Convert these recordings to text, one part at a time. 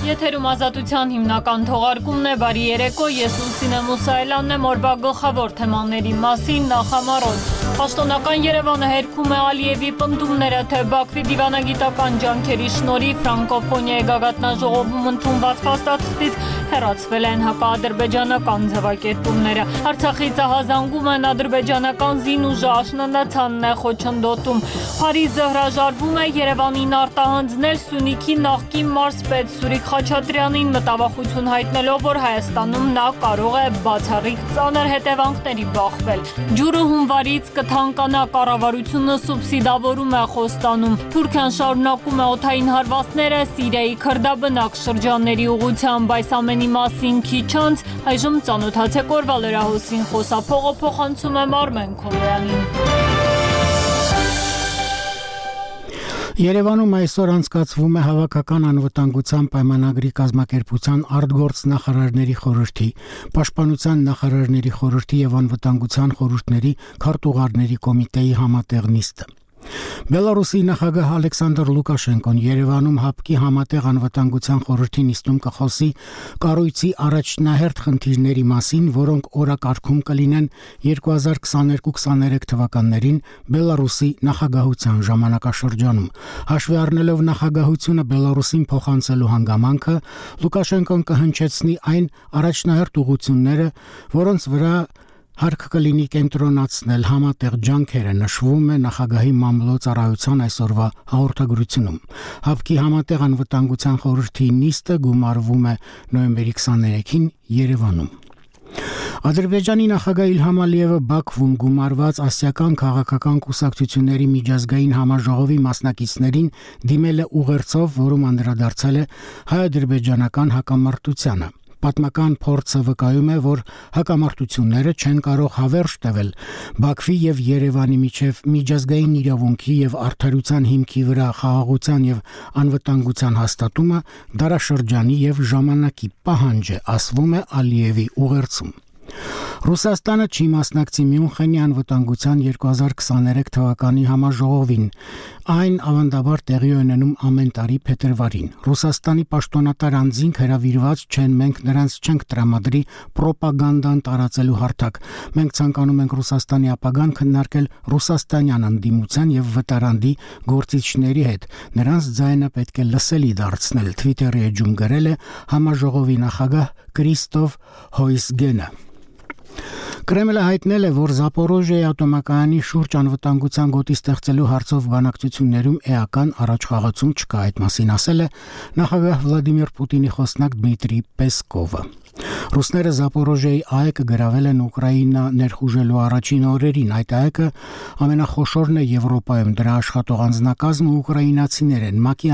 Եթերում ազատության հիմնական թողարկումն է, բարի երեկո, ես Լուսինե Մուսայելյանն եմ, օրվա գլխավոր թեմաների մասին նախամարոտ։ Պաշտոնական Երևանը հերքում է Ալիևի պնդումները, թե Բաքվի դիվանագիտական ջանքերի շնորհիվ ֆրանկոֆոնիայի գագաթնաժողովում ընդունված փաստաթղթից հեռացվել են հակաադրբեջանական ձևակերպումները։ Արցախից ահազանգում են ադրբեջանական զինուժը, աշնանացանն է խոչընդոտում։ Փարիզը հրաժարվում է Երևանին արտահանձնել Սյունիքի նախկին մարզպետ Սուրիկ Խաչատրյանին, մտավախություն հայտնելով, որ Հայաստանում նա կարող է բացառիկ ծանր հետևանքների բախվել։ Ջուրը հունվարից կթանկանա, կառավարությունը սուբսիդավորում է Խոստանում։ Թուրքիան շարունակում է օդային հարվածները Սիրիայի քրդաբնակ շրջանների ուղղությամբ, այս ամենի մասին քիչ անց այժմ ծանոթացեք օրվա լրահոսին, խոսափողը փոխանցում է Արմեն Քոյանին։ Երևանում այսօր անցկացվում է հավաքական անվտանգության պայմանագրի կազմակերպության արտգործնախարարների խորհրդի, պաշտպանության նախարարների խորհրդի եւ անվտանգության խորհուրդների քարտուղարների կոմիտեի համատեղ նիստը։ Բելարուսի նախագահ Ալեքսանդր Լուկաշենկոն Երևանում ՀԱՊԿ-ի համատեղ անվտանգության խորհրդի նիստում կխոսի կառույցի առաջնահերթ խնդիրների մասին, որոնք օրակարգում կլինեն 2022-23 թվականներին Բելարուսի նախագահության ժամանակաշրջանում։ Հաշվի առնելով նախագահությունը Բելարուսին փոխանցելու հանգամանքը, Լուկաշենկոն կհնչեցնի այն առաջնահերթ ուղղությունները, որոնց վրա հարկ կլինի կենտրոնացնել համատեղ ջանքերը, նշվում է նախագահի մամլոյցարայության այսօրվա հաղորդագրությունում։ ՀԱՊԿ-ի համատեղ անվտանգության խորհրդի նիստը գումարվում է նոյեմբերի 23-ին Երևանում։ Ադրբեջանի նախագահ Իլհամ Ալիևը Բաքվում գումարված ասիական քաղաքական կուսակցությունների միջազգային համաժողովի մասնակիցներին դիմել է ուղերձով, որում անդրադարձել է հայ-ադրբեջանական հակամարտությանը։ Պատմական փորձը վկայում է, որ հակամարտությունները չեն կարող հավերժ տվել Բաքվի եւ Երևանի միջև միջազգային իրավունքի եւ արդարության հիմքի վրա խաղաղության եւ անվտանգության հաստատումը դարաշրջանի եւ ժամանակի պահանջ է, ասվում է Ալիևի ուղերձում։ Ռուսաստանը չի մասնակցի Մյունխենի անվտանգության 2023 թվականի համաժողովին։ Այն ավանդաբար տեղի ունենում ամեն տարի փետրվարին։ Ռուսաստանի պաշտոնատար անձինք հրավիրված չեն, մենք նրանց չենք տրամադրի ռոպագանդան տարածելու հարթակ։ Մենք ցանկանում ենք Ռուսաստանի ապագան քննարկել ռուսաստանյան ընդդիմության եւ վտարանդի գործիչների հետ։ Նրանց ձայնը պետք է լսելի դարձնել, Twitter-ի էջում գրել է համաժողովի նախագահ Կրիստոֆ Հոյսգենը։ Կրեմլը հայտնել է, որ Զապորոժիայի ատոմակայանի շուրջ անվտանգության գոտի ստեղծելու հարցով բանակցություններում էական առաջխաղացում չկա, այդ մասին ասել է նախագահ Վլադիմիր Պուտինի խոսնակ Դմիտրի Պեսկովը։ Ռուսները Զապորոժիայի այգը գրավել են Ուկրաինա ներխուժելու առաջին օրերին, այդ այգը ամենախոշորն է Եվրոպայում, դրա աշխատող անձնակազմը ուկրաինացիներ են։ ՄԱԿ-ի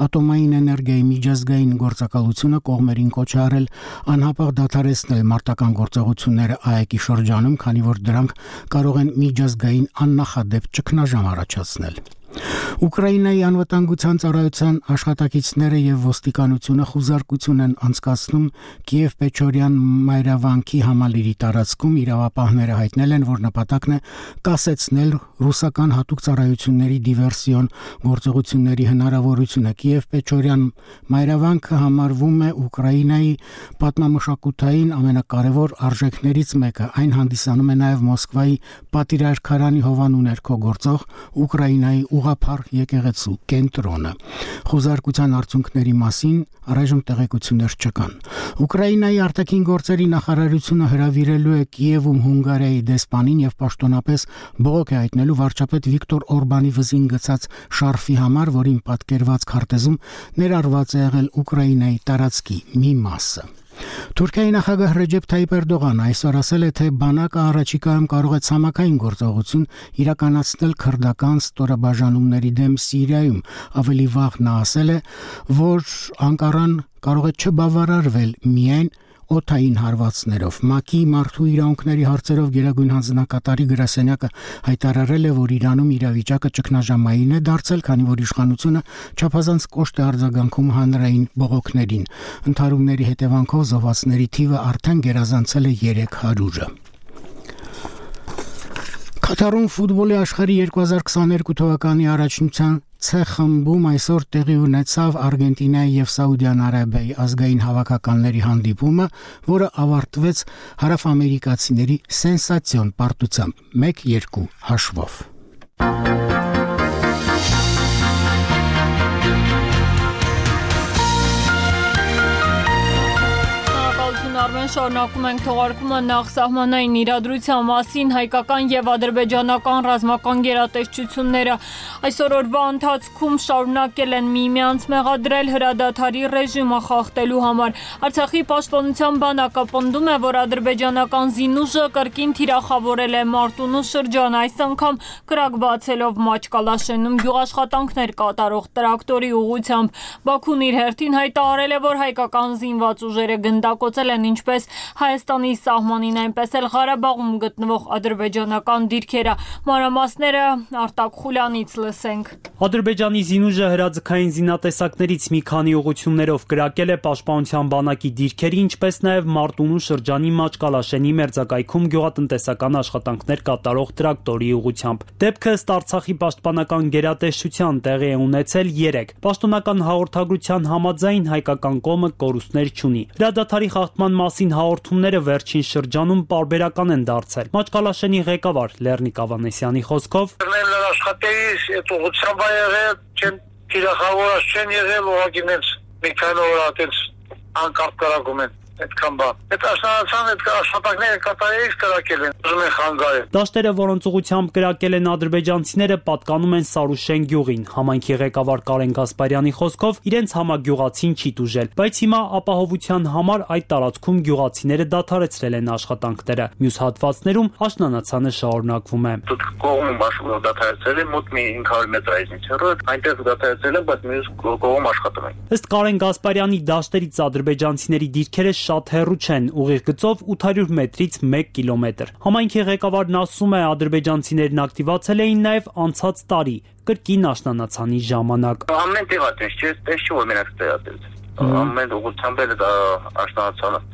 ատոմային էներգիայի միջազգային գործակալությունը կողմերին կոչ է արել անհապաղ դադարեցնել մարտական գործողությունները այգի շրջանում, քանի որ դրանք կարող են միջազգային աննախադեպ ճգնաժամ առաջացնել։ Ուկրաինայի անվտանգության ծառայության աշխատակիցները եւ ոստիկանությունը խուզարկություն են անցկացնում Կիև-Պեչորյան մայրավանքի համալիրի տարածքում։ Իրավապահները հայտնել են, որ նպատակն է կասեցնել ռուսական հատուկ ծառայությունների դիվերսիոն գործողությունների հնարավորությունը։ Կիև-Պեչորյան մայրավանքը համարվում է Ուկրաինայի պատմամշակութային ամենակարևոր արժեքներից մեկը։ Այն հանդիսանում է նաեւ Մոսկվայի պատիրարքարանի հովանու ներքո գործող Ուկրաինայի ուղղափառ եկեղեցու կենտրոնը։ Խոզարկության արդյունքների մասին առայժմ տեղեկություններ չկան։ Ուկրաինայի արտաքին գործերի նախարարությունը հրավիրելու է Կիևում Հունգարիայի դեսպանին եւ պաշտոնապես բողոք է հայտնելու վարչապետ Վիկտոր Օրբանի վզին գցած շարֆի համար, որին պատկերված քարտեզում ներառված է եղել Ուկրաինայի տարածքի մի մասը։ Թուրքիայի նախագահ Ռեջեփ Թայիպ Էրդողանը այսօր ասել է, թե բանակը առաջիկայում կարող է ցամաքային գործողություն իրականացնել քրդական ստորաբաժանումների դեմ Սիրիայում։ Ավելի վաղ նա ասել է, որ Անկարան կարող է չբավարարվել միայն օդային հարվածներով։ ՄԱԿ-ի մարդու իրավունքների հարցերով գերագույն հանձնակատարի գրասենյակը հայտարարել է, որ Իրանում իրավիճակը ճգնաժամային է դարձել, քանի որ իշխանությունը չափազանց կոշտ է արձագանքում հանրային բողոքներին։ Ընդհարումների հետևանքով զոհվածների թիվը արդեն գերազանցել է 300-ը։ Կատարում ֆուտբոլի աշխարհի 2022 թվականի առաջնության C խմբում այսօր տեղի ունեցավ Արգենտինայի եւ Սաուդյան Արաբիայի ազգային հավաքականների հանդիպումը, որը ավարտվեց հարավամերիկացիների սենսացիոն պարտությամբ 1-2 հաշվով։ Շարունակում ենք թողարկումը նախ սահմանային իրադրության մասին հայկական եւ ադրբեջանական ռազմական գերատեսչությունները այսօր օրվա ընթացքում շարունակել են միմյանց մեղադրել հրադադարի ռեժիմը խախտելու համար։ Արցախի պաշտպանության բանակը պնդում է, որ ադրբեջանական զինուժը կրկին թիրախավորել է Մարտունու շրջան, այս անգամ կրակ բացելով Մաչկալաշենում գյուղաշխատանքներ կատարող տրակտորի ուղղությամբ։ Բաքուն իր հերթին հայտարարել է, որ հայկական զինված ուժերը գնդակոծել են ինչպես Հայաստանի սահմանին, այնպես էլ Ղարաբաղում գտնվող ադրբեջանական դիրքերը։ Մանրամասները Արտակ Խուլյանից լսենք։ Ադրբեջանի զինուժը հրաձգային զինատեսակներից մի քանի ուղղություններով կրակել է պաշտպանության բանակի դիրքերի, ինչպես նաև Մարտունու շրջանի Մաչկալաշենի մերձակայքում գյուղատնտեսական աշխատանքներ կատարող տրակտորի ուղղությամբ։ Դեպքը ըստ Արցախի պաշտպանական գերատեսչության տեղի է ունեցել 3։ Պաշտոնական հաղորդագրության համաձայն հայկական կողմը կորուստներ չունի։ Հրադադարի խախտման մասին հաղորդումները վերջին շրջանում պարբերական են դարձել։ Մաչկալաշենի ղեկավար Լեռնիկ Ավանեսյանի խոսքով աշխատելիս այդ ուղղությամբ եղել չեն թիրախավորած չեն եղել ուղղակի մի քանի օր այդպես անկապ կրակում են այդքան բան։ Այդ աշնանացան այդ աշխատանքները կատարելիս կրակել են, ուզում են խանգարել։ Դաշտերը, որոնց ուղղությամբ կրակել են ադրբեջանցիները, պատկանում են Սարուշեն գյուղին։ Համայնքի ղեկավար Կարեն Գասպարյանի խոսքով իրենց համագյուղացին չի տուժել, բայց հիմա ապահովության համար այդ տարածքում գյուղացիները դադարեցրել են աշխատանքները։ Մյուս հատվածներում աշնանացանը շարունակվում է։ Կողմում աշխատող դադարեցրել են մոտ մի 500 մետր այդպես հեռու, այնտեղ դադարեցրել են, բայց մյուս կողմում աշխատում են։ Ըստ Կարեն Գասպարյանի դաշտերից ադրբեջանցիների դիրքերը շատ հեռու չեն, ուղիղ գծով 800 մետրից 1 կիլոմետր։ Համայնքի ղեկավարն ասում է, ադրբեջանցիներն ակտիվացել էին նաև անցած տարի, կրկին աշնանացանի ժամանակ։ Ամեն տեղատես չէ, տես չի որ մենակ տեղատես։ Ամեն ուղղությամբ էլ աշնանացանը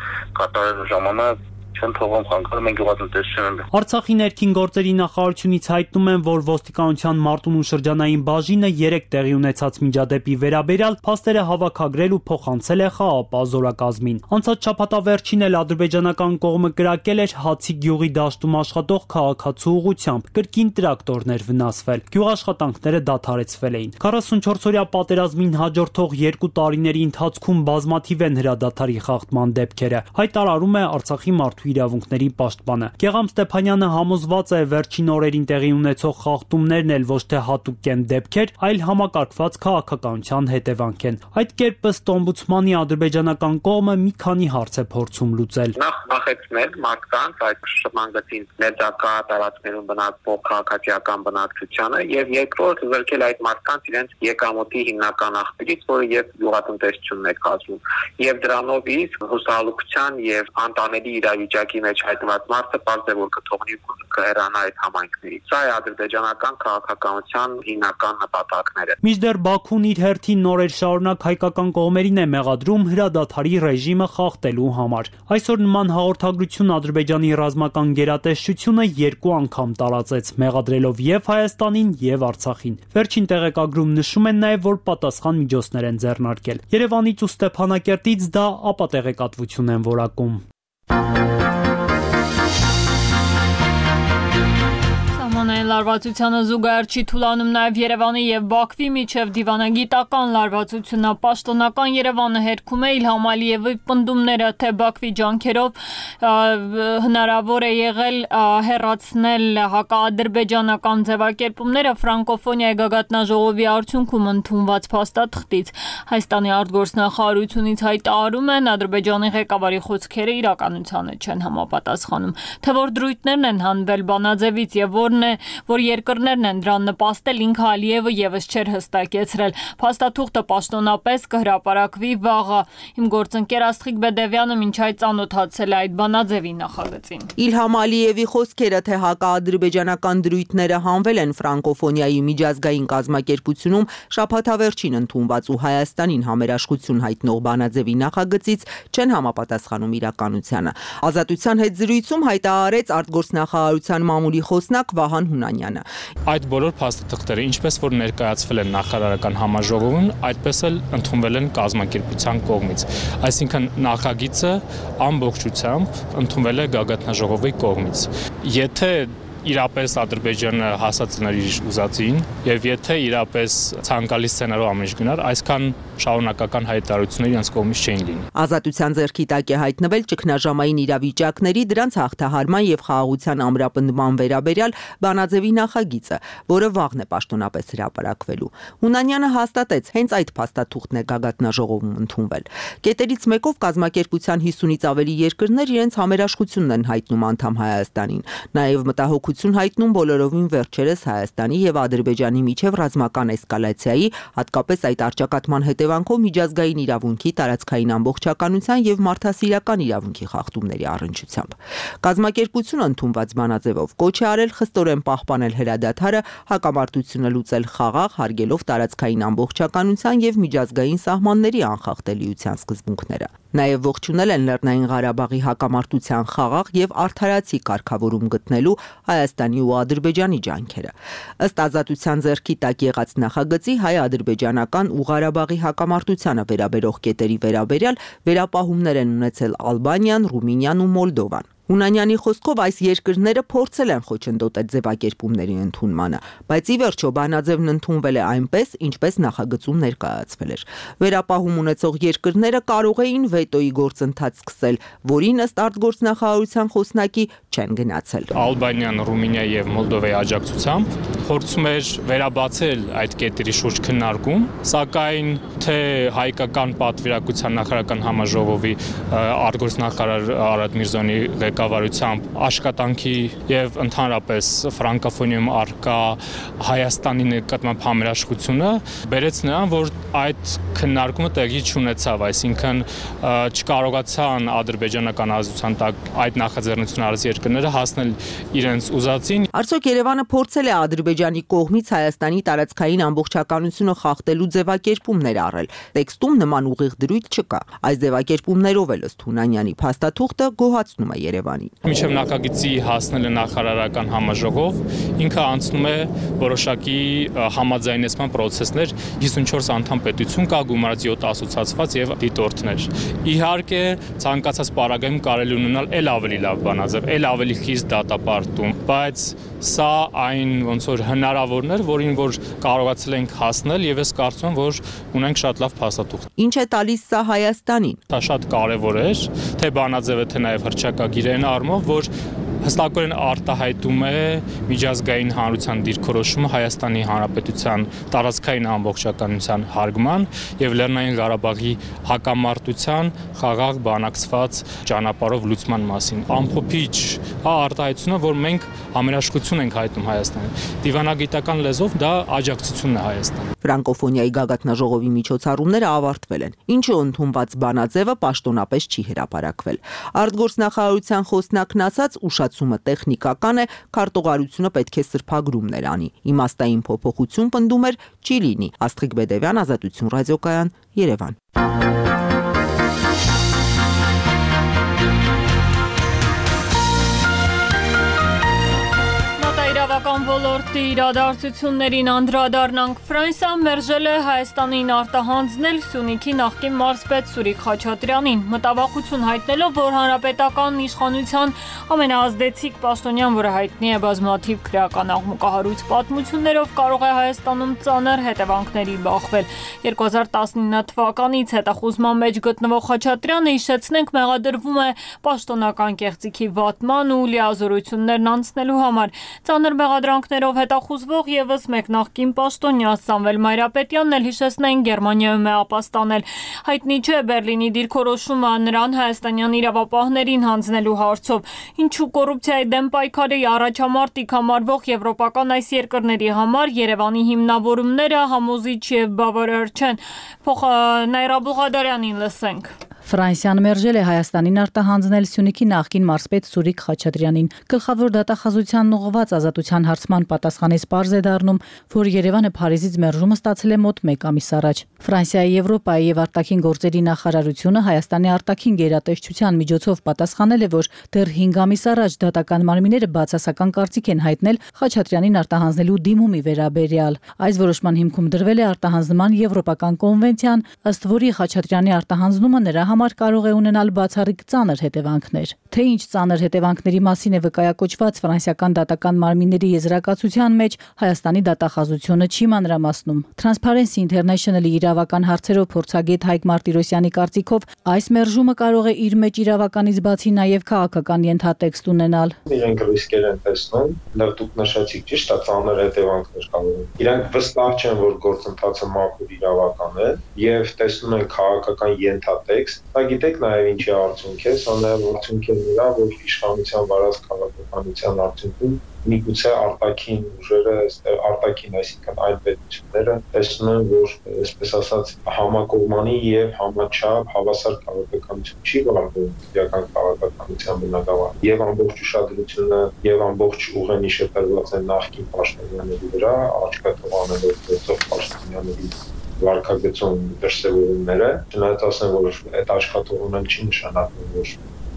կատարելու ժամանակ չեն թողում խանգարում են գյուղատնտեսությունը։ Արցախի ներքին գործերի նախարարությունից հայտնում են, որ ոստիկանության Մարտունու շրջանային բաժինը 3 տեղի ունեցած միջադեպի վերաբերյալ փաստերը հավաքագրել ու փոխանցել է ԽԱՊ զորակազմին։ Անցած շաբաթավերջին էլ ադրբեջանական կողմը կրակել էր Հացի գյուղի դաշտում աշխատող քաղաքացու ուղղությամբ, կրկին տրակտորներ վնասվել։ Գյուղաշխատանքները դադարեցվել էին։ 44-օրյա պատերազմին հաջորդող 2 տարիների ընթացքում բազմաթիվ են հրադադարի խախտման դեպքերը, հայտարարում է Արցախի մարդու իրավունքների պաշտպանը։ Գեգամ Ստեփանյանը համոզված է, վերջին օրերին տեղի ունեցող խախտումներն էլ ոչ թե հատուկ են դեպքեր, այլ համակարգված քաղաքականության հետևանք են։ Այդ կերպ ըստ օմբուդսմանի ադրբեջանական կողմը մի քանի հարց է փորձում լուծել։ Նախեցնել մարդկանց այդ շրջանգծին ներդակա տարածքներում բնակվող քաղաքացիական բնակչությանը եւ երկրորդ զրկել այդ մարդկանց իրենց եկամուտի հիմնական աղբյուրից, որը եւ գյուղատնտեսությունն է կազմում, եւ դրանով իսկ հուսալուկության եւ անտանելի իրավիճակի մեջ հայտնված մարդը պարզ է որ կթողնի կհեռանա այդ համայնքներից։ Սա է ադրբեջանական քաղաքականության հիմնական նպատակները։ Մինչդեռ Բաքուն իր հերթին նորեր շարունակ հայկական կողմերին է մեղադրում հրադադարի ռեժիմը խախտելու համար։ Այսօր նման հաղորդագրություն Ադրբեջանի ռազմական գերատեսչությունը 2 անգամ տարածեց, մեղադրելով եւ Հայաստանին եւ Արցախին։ Վերջին տեղեկագրում նշում են նաեւ, որ պատասխան միջոցներ են ձեռնարկել։ Երևանից ու Ստեփանակերտից դա ապատեղեկատվություն են որակում։ Սահմանային լարվածությանը զուգահեռ չի թուլանում նաև Երևանի եւ Բաքվի միջև դիվանագիտական լարվածությունը։ Պաշտոնական Երևանը հերքում է Իլհամ Ալիևի պնդումները, թե Բաքվի ջանքերով հնարավոր է եղել հեռացնել հակաադրբեջանական ձևակերպումները ֆրանկոֆոնիայի գագաթնաժողովի արդյունքում ընդունված փաստաթղթից։ Հայաստանի արտգործնախարարությունից հայտարարում են, Ադրբեջանի ղեկավարի խոսքերը իրականությանը չեն համապատասխանում։ Թե որ դրույթներն են հանվել բանաձևից եւ որն է, որ երկրներն են դրան նպաստել, ինքը Ալիևը եւս չէր հստակեցրել։ Փաստաթուղթը պաշտոնապես կհրապարակվի վաղը։ Իմ գործընկեր Աստղիկ Բեդևյանը մինչ այդ ծանոթացել է այդ բանաձևի նախագծին։ Իլհամ Ալիևի խոսքերը, թե հակաադրբեջանական դրույթները հանվել են ֆրանկոֆոնիայի միջազգային կազմակերպությունում շաբաթավերջին ընդունված ու Հայաստանին համերաշխություն հայտնող բանաձևի նախագծից չեն համապատասխանում իրականությանը։ Ազատության հետ զրույցում հայտարարեց արտգործնախարարության մամուլի խոսնակ Վահան Հունանյանը։ Հունանյանը։ Այդ բոլոր փաստաթղթերը, ինչպես որ ներկայացվել են նախարարական համաժողովում, այդպես էլ ընդունվել են կազմակերպության կողմից։ Այսինքն նախագիծը ամբողջությամբ ընդունվել է գագաթնաժողովի կողմից։ Եթե իրապես Ադրբեջանը հասածներ իր ուզածին եւ եթե իրապես ցանկալի սցենարով ամեն ինչ գնար, այսքան շարունակական հայտարարություններ իրենց կողմից չէին լինի։ Ազատության ձեռքի տակ է հայտնվել ճգնաժամային իրավիճակների, դրանց հաղթահարման եւ խաղաղության ամրապնդման վերաբերյալ Բանաձևի նախագիծը, որը վաղն է պաշտոնապես հրապարակվելու։ Հունանյանը հաստատեց, հենց այդ փաստաթուղթն է գագաթնաժողովում ընդունվել։ Կետերից մեկով կազմակերպության 50-ից ավելի երկրներ իրենց համերաշխությունն են հայտնում անդամ Հայաստանին։ Նաեւ մտահոգություն հայտնում բոլորովին վերջերս Հայաստանի եւ Ադրբեջանի միջև ռազմական էսկալացիայի, հատկապես այդ առճակատման հետևանքով միջազգային իրավունքի, տարածքային ամբողջականության եւ մարդասիրական իրավունքի խախտումների առնչությամբ։ Կազմակերպությունը ընդունված բանաձևով կոչ է արել խստորեն պահպանել հրադադարը, հակամարտությունը լուծել խաղաղ, հարգելով տարածքային ամբողջականության եւ միջազգային սահմանների անխախտելիության սկզբունքները։ Նաև ողջունել են Լեռնային Ղարաբաղի հակամարտության խաղաղ եւ արդարացի կարգավորում գտնելու Հայաստանի ու Ադրբեջանի ջանքերը։ Ըստ Ազատության ձեռքի տակ եղած նախագծի հայ-ադրբեջանական ու Ղարաբաղի հակամարտությանը վերաբերող կետերի վերաբերյալ վերապահումներ են ունեցել Ալբանիան, Ռումինիան ու Մոլդովան։ Հունանյանի խոսքով այս երկրները փորձել են խոչընդոտել ձևակերպումների ընդունմանը, բայց ի վերջո բանաձևն ընդունվել է այնպես, ինչպես նախագծում ներկայացվել էր։ Վերապահում ունեցող երկրները կարող էին վետոյի գործընթաց սկսել, որին ըստ արտգործնախարարության խոսնակի չեն գնացել։ Ալբանիան, Ռումինիա եւ Մոլդովայի աջակցությամբ փորձում էր վերաբացել այդ կետերի շուրջ քննարկում, սակայն թե հայկական պատվիրակության նախարարական համաժողովի արտգործնախարար Արադ Միրզոյանի ղեկավարությամբ աշխատանքի եւ ընդհանրապես ֆրանկոֆոնիայում արկա Հայաստանի նկատմամբ համերաշխությունը բերեց նրան, որ այդ քննարկումը տեղի չունեցավ, այսինքն չկարողացան ադրբեջանական ազատության տակ այդ նախաձեռնությունը արած երկրները հասնել իրենց ուզածին։ Արդյոք Երևանը փորձել է Ադրբեջանի կողմից Հայաստանի տարածքային ամբողջականությունը խախտելու ձևակերպումներ առել։ Տեքստում նման ուղիղ դրույթ չկա։ Այս ձևակերպումներով էլ ըստ Հունանյանի փաստաթուղթը գոհացնում է Երևանին։ Մինչև նախագծի հասնելը նախարարական համաժողով, ինքը անցնում է որոշակի համաձայնեցման process-ներ, 54 անդամ պետություն կա, գումարած 7 ասոցիացված եւ դիտորդներ։ Իհարկե, ցանկացած պարագայում կարելի ունենալ էլ ավելի լավ բանաձև, էլ ավելի խիստ դատապարտում, բայց սա այն ոնց որ հնարավորն էր, որին որ կարողացել ենք հասնել եւ ես կարծում եմ, որ ունենք շատ լավ փաստաթուղթ։ Ինչ է տալիս սա Հայաստանին։ Դա շատ կարեւոր էր, թե բանաձևը, թե նաեւ հռչակագիրային առումով, որ հստակորեն արտահայտում է միջազգային հանրության դիրքորոշումը Հայաստանի Հանրապետության տարածքային ամբողջականության հարգման եւ Լեռնային Ղարաբաղի հակամարտության խաղաղ բանակցված ճանապարհով լուծման մասին։ Ամփոփիչ արտահայտությունը, որ մենք համերաշխություն ենք հայտնում Հայաստանին։ Դիվանագիտական լեզվով դա աջակցությունն է Հայաստանին։ Ֆրանկոֆոնիայի գագաթնաժողովի միջոցառումները ավարտվել են, ինչը ընդունված բանաձևը պաշտոնապես չի հրապարակվել։ Արտգործնախարարության խոսնակն ասաց, ուշացումը տեխնիկական է, քարտուղարությունը պետք է սրբագրումներ անի։ Իմաստային փոփոխություն պնդում էր չի լինի։ Աստղիկ Բեդևյան, Ազատություն ռադիոկայան, Երևան։ Իրավական ոլորտի իրադարձություններին անդրադառնանք։ Ֆրանսիան մերժել է Հայաստանին արտահանձնել Սյունիքի նախկին մարզպետ Սուրիկ Խաչատրյանին, մտավախություն հայտնելով, որ հանրապետական իշխանության ամենաազդեցիկ պաշտոնյան, որը հայտնի է բազմաթիվ քրեական աղմուկահարույց պատմություններով, կարող է Հայաստանում ծանր հետևանքների բախվել։ 2019 թվականից հետախուզման մեջ գտնվող Խաչատրյանը, հիշեցնենք, մեղադրվում է պաշտոնական կեղծիքի վատման ու լիազորություններն անցնելու համար։ Ծանր մեղադրանքներով հետախուզվող եւս մեկ նախկին պաշտոնյա Սամվել Մայրապետյանն էլ հիշեցնեն Գերմանիայում է ապաստանել։ Հայտնի չէ Բերլինի դիրքորոշումը նրան հայաստանյան իրավապահներին հանձնելու հարցով։ Ինչու կոռուպցիայի դեմ պայքարի առաջամարտիկ համարվող եվրոպական այս երկրների համար Երևանի հիմնավորումները համոզիչ եւ բավարար չեն։ Նայրա Բուղադարյանին լսենք։ Ֆրանսիան մերժել է Հայաստանին արտահանձնել Սյունիքի նախկին մարզպետ Սուրիկ Խաչատրյանին։ Գլխավոր դատախազության ուղղված ազատության հարցման պատասխանից պարզ է դառնում, որ Երևանը Փարիզից մերժումը ստացել է մոտ 1 ամիս առաջ։ Ֆրանսիայի, Եվրոպայի եւ արտաքին գործերի նախարարությունը Հայաստանի արտաքին գերատեսչության միջոցով պատասխանել է, որ դեռ 5 ամիս առաջ դատական մարմինները բացասական կարծիք են հայտնել Խաչատրյանին արտահանձնելու դիմումի վերաբերյալ։ Այս որոշման հիմքում դրվել է արտահանձնման եվրոպական կոնվենցիան, ըստ որի Խաչատրյանի արտահանձնումը նրա համար կարող է ունենալ բացառիկ ծանր հետևանքներ։ Թե ինչ ծանր հետևանքների մասին է վկայակոչված ֆրանսիական դատական մարմինների եզրակացության մեջ, Հայաստանի դատախազությունը չի մանրամասնում։ Transparency International-ի իրավական հարցերով փորձագետ Հայկ Մարտիրոսյանի կարծիքով այս մերժումը կարող է իր մեջ իրավականից բացի նաև քաղաքական ենթատեքստ ունենալ։ Իրենք ռիսկեր են տեսնում, դեռ դուք նշեցիք ճիշտ է, ծանր հետևանքներ կարող են։ Իրանք վստահ չեն, որ գործընթացը մաքուր իրավական է եւ տեսնում են քաղաքական ենթատեքստ։ Դա գիտեք նաև ինչի արդյունք է, սա նաև արդյունք է նրա, որ իշխանության վարած քաղաքականության արդյունքում միգուցե արտաքին ուժերը, արտաքին, այսինքն այլ պետությունները տեսնում են, որ այսպես ասած համակողմանի եւ համաչափ հավասար քաղաքականություն չի վարվում իրական քաղաքականության բնագավառ եւ ամբողջ ուշադրությունը եւ ամբողջ ուղենիշը տրված է նախկին պաշտոնյաների վրա, աչքա թողանելով գործող պաշտոնյաների վարկագծում դրսևորումները, չնայած ասեմ, որ այդ աշխատողությունը չի նշանակում, որ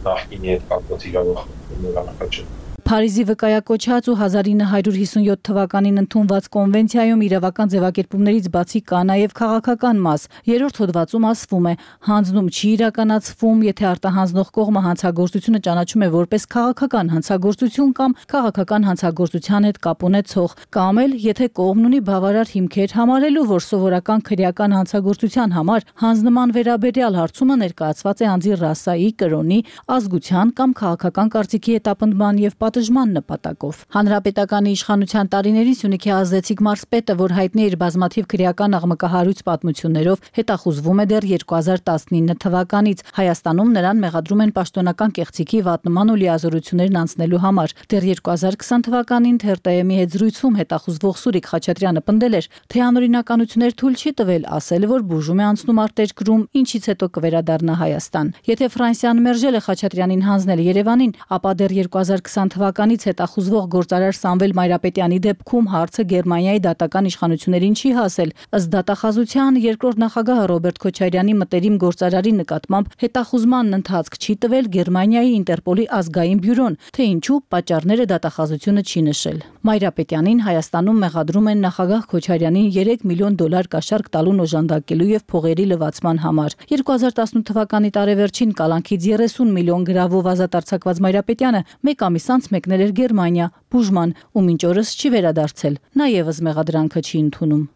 նախկինի հետ կապված իրավախախտումներ առաջ Փարիզի վկայակոչած ու 1957 թվականին ընդունված կոնվենցիայում իրավական ձևակերպումներից բացի կա նաև քաղաքական մաս։ Երրորդ հոդվածում ասվում է. հանձնում չի իրականացվում, եթե արտահանձնող կողմը հանցագործությունը ճանաչում է որպես քաղաքական հանցագործություն կամ քաղաքական հանցագործության հետ կապ ունեցող, կամ էլ եթե կողմն ունի բավարար հիմքեր համարելու, որ սովորական քրեական հանցագործության համար հանձնման վերաբերյալ հարցումը ներկայացված է անձի ռասայի, կրոնի, ազգության կամ քաղաքական կարծիքի հետապնդման եւ պատժման նպատակով։ Հանրապետականի իշխանության տարիներին Սյունիքի ազդեցիկ մարզպետը, որ հայտնի էր բազմաթիվ քրեական աղմկահարույց պատմություններով, հետախուզվում է դեռ 2019 թվականից։ Հայաստանում նրան մեղադրում են պաշտոնական կեղծիքի, վատնման ու լիազորություններն անցնելու համար։ Դեռ 2020 թվականին ԹՌՏՄ-ի հետ զրույցում հետախուզվող Սուրիկ Խաչատրյանը պնդել էր, թե անօրինականություններ թույլ չի տվել, ասել, որ բուժում է անցնում արտերկրում, ինչից հետո կվերադառնա Հայաստան։ Եթե Ֆրանսիան մերժել է Խաչատրյանին հանձնել Երևանին, ապա դեռ 2020 թվականից հետախուզվող գործարար Սամվել Մայրապետյանի դեպքում հարցը Գերմանիայի դատական իշխանություններին չի հասել։ Ըստ դատախազության երկրորդ նախագահ Ռոբերտ Քոչարյանի մտերիմ գործարարի նկատմամբ հետախուզման ընթացք չի տվել Գերմանիայի Ինտերպոլի ազգային բյուրոն, թե ինչու պատճառները դատախազությունը չի նշել։ Մայրապետյանին Հայաստանում մեղադրում են նախագահ Քոչարյանին $3 միլիոն կաշառք տալուն օժանդակելու եւ փողերի լվացման համար։ 2018 թվականի տարեվերջին կալանքից 30 միլիոն գրավով ազատ արձակված Մայրապետյանը մեկ ամիս անց մեկնել էր Գերմանիա բուժման ու մինչ օրս չի վերադարձել։ Նա եւս մեղադրանքը չի ընդունում։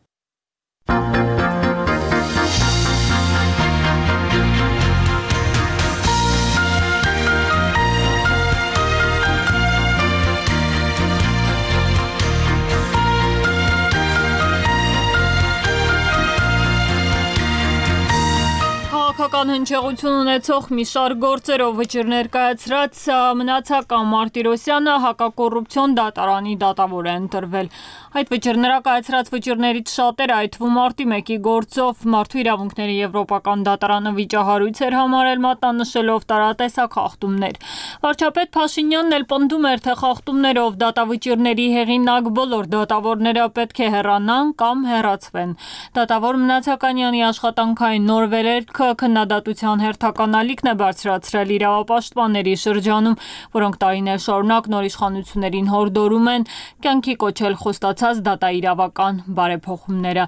Քաղաքական հնչեղություն ունեցող մի շարք գործերով վճիռ ներկայացրած Մնացական Մարտիրոսյանը հակակոռուպցիոն դատարանի դատավոր է ընտրվել։ Այդ վճիռները կայացրած վճիռներից շատերը, այդ թվում մարտի 1-ի գործով Մարդու իրավունքների եվրոպական դատարանը վիճահարույց էր համարել մատնանշելով տարատեսակ խախտումներ։ Վարչապետ Փաշինյանն էլ պնդում էր, թե խախտումներով դատավճիռների հեղինակ բոլոր դատավորները պետք է հեռանան կամ հեռացվեն։ Դատավոր Մնացականյանի աշխատանքային նոր վերելքը քննադատության հերթական ալիքն է բարձրացրել իրավապաշտպանների շրջանում, որոնք տարիներ շարունակ նոր իշխանություններին հորդորում են կյանքի կոչել խոստացած դատաիրավական բարեփոխումները։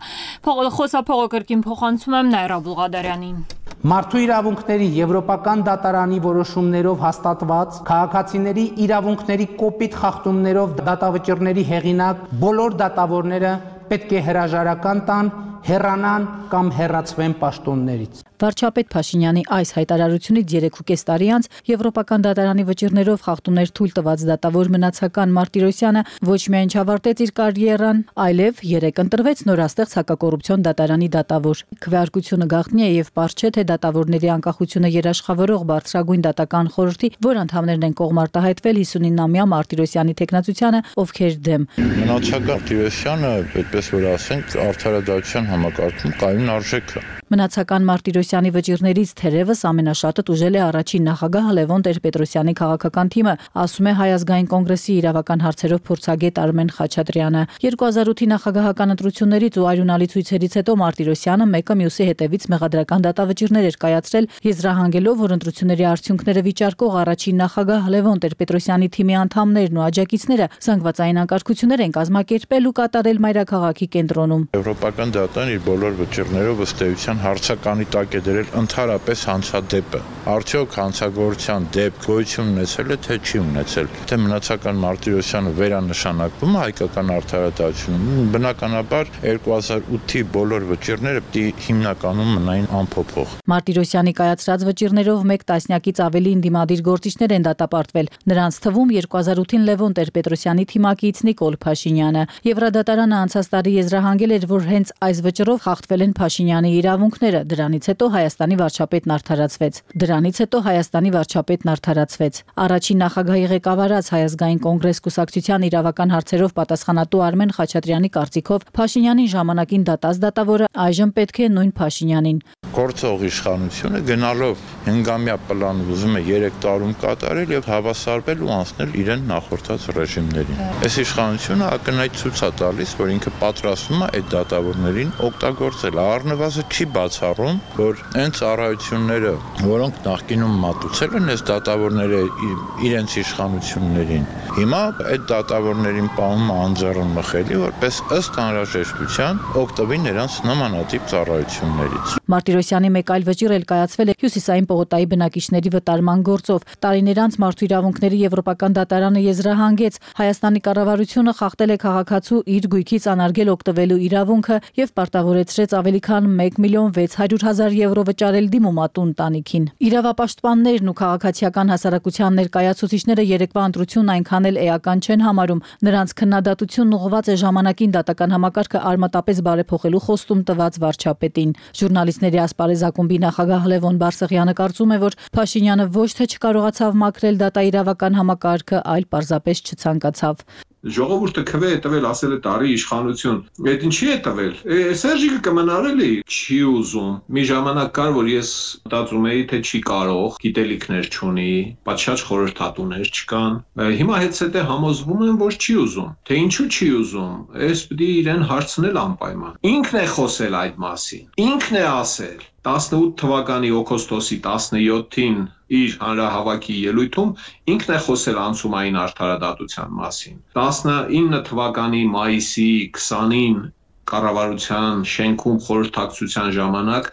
Խոսափողոքրկին փոխանցում եմ Նայրա Բուլղադարյանին։ Մարդու իրավունքների եվրոպական դատարանի որոշումներով հաստատված քաղաքացիների իրավունքների կոպիտ խախտումներով դատավճիռների հեղինակ բոլոր դատավորները պետք է հրաժարական տան, հեռանան կամ հեռացվեն պաշտոններից։ Վարչապետ Փաշինյանի այս հայտարարությունից 3.5 տարի անց Եվրոպական դատարանի վճիռներով խախտումներ թույլ տված դատավոր Մնացական Մարտիրոսյանը ոչ միայն չավարտեց իր կարիերան, այլև 3 ընտրվեց նորաստեղծ հակակոռուպցիոն դատարանի դատավոր։ Քվեարկությունը գաղտնի է եւ պարզ չէ, թե դատավորների անկախությունը երաշխավորող բարձրագույն դատական խորհրդի, որ անդամներն են կողմ արտահայտվել 59-ամյա Մարտիրոսյանի թեկնածությանը, ովքեր դեմ։ Մնացական Մարտիրոսյանը, այդպես որ ասենք, արդարադատության համակարգում կայուն արժեք է։ Մնացական Մարտիրոսյանի վճիռներից թերևս ամենաշատը տուժել է առաջին նախագահ Լևոն Տեր-Պետրոսյանի քաղաքական թիմը, ասում է Հայ ազգային կոնգրեսի իրավական հարցերով փորձագետ Արմեն Խաչատրյանը։ 2008-ի նախագահական ընտրություններից ու արյունալի ցույցերից հետո Մարտիրոսյանը մեկը մյուսի հետևից մեղադրական դատավճիռներ էր կայացրել, եզրահանգելով, որ ընտրությունների արդյունքները վիճարկող առաջին նախագահ Լևոն Տեր-Պետրոսյանի թիմի անդամներն ու աջակիցները զանգվածային անկարգություններ են կազմակերպել ու կատարել մայրաքաղաքի կենտրոնում։ Եվրոպական դատան իր բոլոր վճիռներով ըստ էության հարցականի տակ է դրել ընդհանրապես հանցադեպը։ Արդյոք հանցագործության դեպք գոյություն ունեցել է, թե չի ունեցել։ Թե մնացական Մարտիրոսյանը վերանշանակվում է հայկական արդարադատությունում, բնականաբար 2008-ի բոլոր վճիռները պիտի հիմնականում մնային անփոփոխ։ Մարտիրոսյանի կայացրած վճիռներով 1 տասնյակից ավելի ընդդիմադիր գործիչներ են դատապարտվել։ Նրանց թվում 2008-ին Լևոն Տեր-Պետրոսյանի թիմակից Նիկոլ Փաշինյանը։ Եվրադատարանը անցած տարի եզրահանգել էր, որ հենց այս վճռով խախտվել են Փաշինյանի իրավունքները։ Դրանից հետո Հայաստանի վարչապետն արդարացվեց։ Առաջին նախագահի ղեկավարած Հայ ազգային կոնգրես կուսակցության իրավական հարցերով պատասխանատու Արմեն Խաչատրյանի կարծիքով Փաշինյանին ժամանակին դատած դատավորը այժմ պետք է նույն Փաշինյանին։ Գործող իշխանությունը գնալով հնգամյա պլան ուզում է 3 տարում կատարել եւ հավասարվել ու անցնել իրեն նախորդած ռեժիմներին։ Այս իշխանությունը ակնհայտ ցույց է տալիս, որ ինքը պատրաստվում է այդ դատավորներին օգտագործել։ Առնվազն չի բացառում, որ այն ծառայությունները, որոնք նախկինում մատուցել են այս դատավորները իրենց իշխանություններին, հիմա այդ դատավորներին պահում է անձեռն մխելի, որպես ըստ անհրաժեշտության օգտվի նրանց նմանատիպ ծառայություններից։ Մարտիրոսյանի մեկ այլ վճիռ էլ կայացվել է Հյուսիսային պողոտայի բնակիչների վտարման գործով։ Տարիներ անց Մարդու իրավունքների Եվրոպական դատարանը եզրահանգեց Հայաստանի կառավարությունը խախտել է քաղաքացու իր գույքից անարգել օգտվելու իրավունքը եւ պարտավորեցրեց ավելի քան 1.600.000 եվրո վճարել դիմումատու ընտանիքին։ Իրավապաշտպաններն ու քաղաքացիական հասարակության ներկայացուցիչները երեկվա ընտրությունն այնքան էլ էական չեն համարում։ Նրանց քննադատությունն ուղղված է ժամանակին դատական համակարգը արմատապես բարեփոխելու խոստում տված վարչապետին։ Ժուրնալիստների ասպարեզ ակումբի նախագահ Լևոն Բարսեղյանը կարծում է, որ Փաշինյանը ոչ թե չկարողացավ մաքրել դատաիրավական համակարգը, այլ պարզապես չցանկացավ։ Ժողովուրդը քվե է տվել, ասել է տարի իշխանություն։ Այդ ինչի է տվել։ Սերժիկը կմնարելի չի ուզում։ Մի ժամանակ կար, որ ես մտածում էի, թե չի կարող, գիտելիքներ չունի, պատշաճ խորհրդատուներ չկան։ Հիմա հետսետե համոզվում եմ, որ չի ուզում։ Թե ինչու չի ուզում։ Այս պիտի իրեն հարցնել անպայման։ Ինքն է խոսել այդ մասին։ Ինքն է ասել 18 թվականի օգոստոսի 17-ին իր հանրահավաքի ելույթում ինքն է խոսել անցումային արդարադատության մասին։ 19 թվականի մայիսի 20-ին կառավարության շենքում խորհրդակցության ժամանակ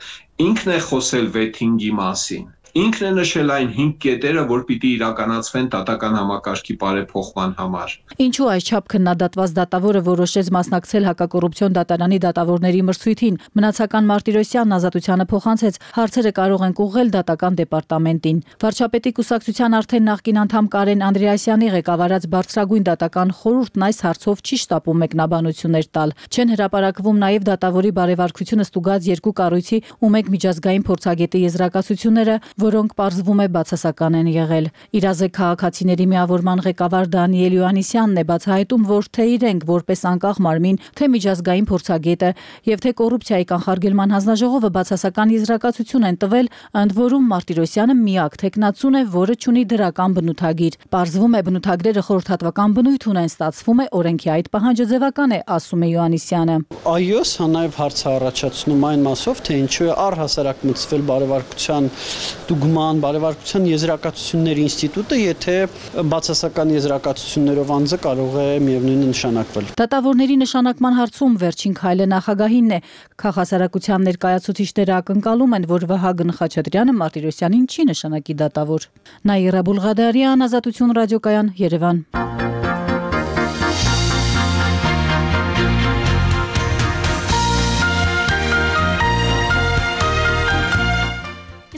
ինքն է խոսել վեթինգի մասին։ Ինքն է նշել այն 5 կետերը, որ պիտի իրականացվեն դատական համակարգի բարեփոխման համար։ Ինչու այսչափ քննադատված դատավորը որոշեց մասնակցել հակակոռուպցիոն դատարանի դատավորների մրցույթին։ Մնացական Մարտիրոսյանն ազատությանը փոխանցեց, հարցերը կարող են ուղղել դատական դեպարտամենտին։ Վարչապետի կուսակցության արդեն նախկին անդամ Կարեն Անդրեասյանի ղեկավարած բարձրագույն դատական խորհուրդն այս հարցով չի շտապում մեկնաբանություններ տալ։ Չեն հրապարակվում նաև դատավորի բարեվարկությունը ստուգած 2 կառույցի ու 1 միջազգային փորձագետի եզրակացությունները, որոնք պարզվում է բացասական են եղել։ Իրազեկ քաղաքացիների միավորման ղեկավար Դանիել Յոհաննիսյանն է բացահայտում, որ թե իրենք որպես անկախ մարմին, թե միջազգային փորձագետը եւ թե կոռուպցիայի կանխարգելման հանձնաժողովը բացասական եզրակացություն են տվել, ընդ որում Մարտիրոսյանը միակ թեկնածուն է, որը ունի դրական բնութագիր։ Պարզվում է բնութագրերը խորհրդատվական բնույթ ունեն, ստացվում է օրենքի այդ պահանջը ձևական է, ասում է Յոհաննիսյանը։ Այո, սա նաեւ հարց է առաջացնում այն մասով, թե ինչու է առհասարակ մտցվել բարեվարկության դուգման բարեվարկության եզրակացությունների ինստիտուտը, եթե բացասական եզրակացություններով անձը կարող է միևնույնը նշանակվել։ Դատավորների նշանակման հարցում վերջին քայլը նախագահինն է։ Քաղաքասարակության ներկայացուցիչները ակնկալում են, որ Վահագն Խաչատրյանը Մարտիրոսյանին չի նշանակի դատավոր։ Նաիրա Բուլղադարյան, Ազատություն ռադիոկայան, Երևան։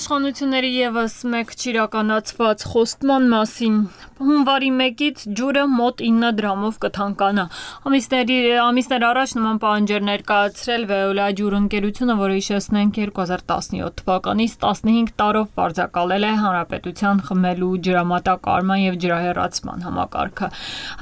Իշխանությունների եւս մեկ չիրականացված խոստման մասին։ Հունվարի 1-ից ջուրը մոտ 9 դրամով կթանկանա։ Ամիսներ առաջ նման պահանջեր ներկայացրել Veolia ջուրընկերությունը, որը հիշեցնենք 2017 թվականից 15 տարով վարձակալել է հանրապետության խմելու ջրամատակարարման եւ ջրահեռացման համակարգը։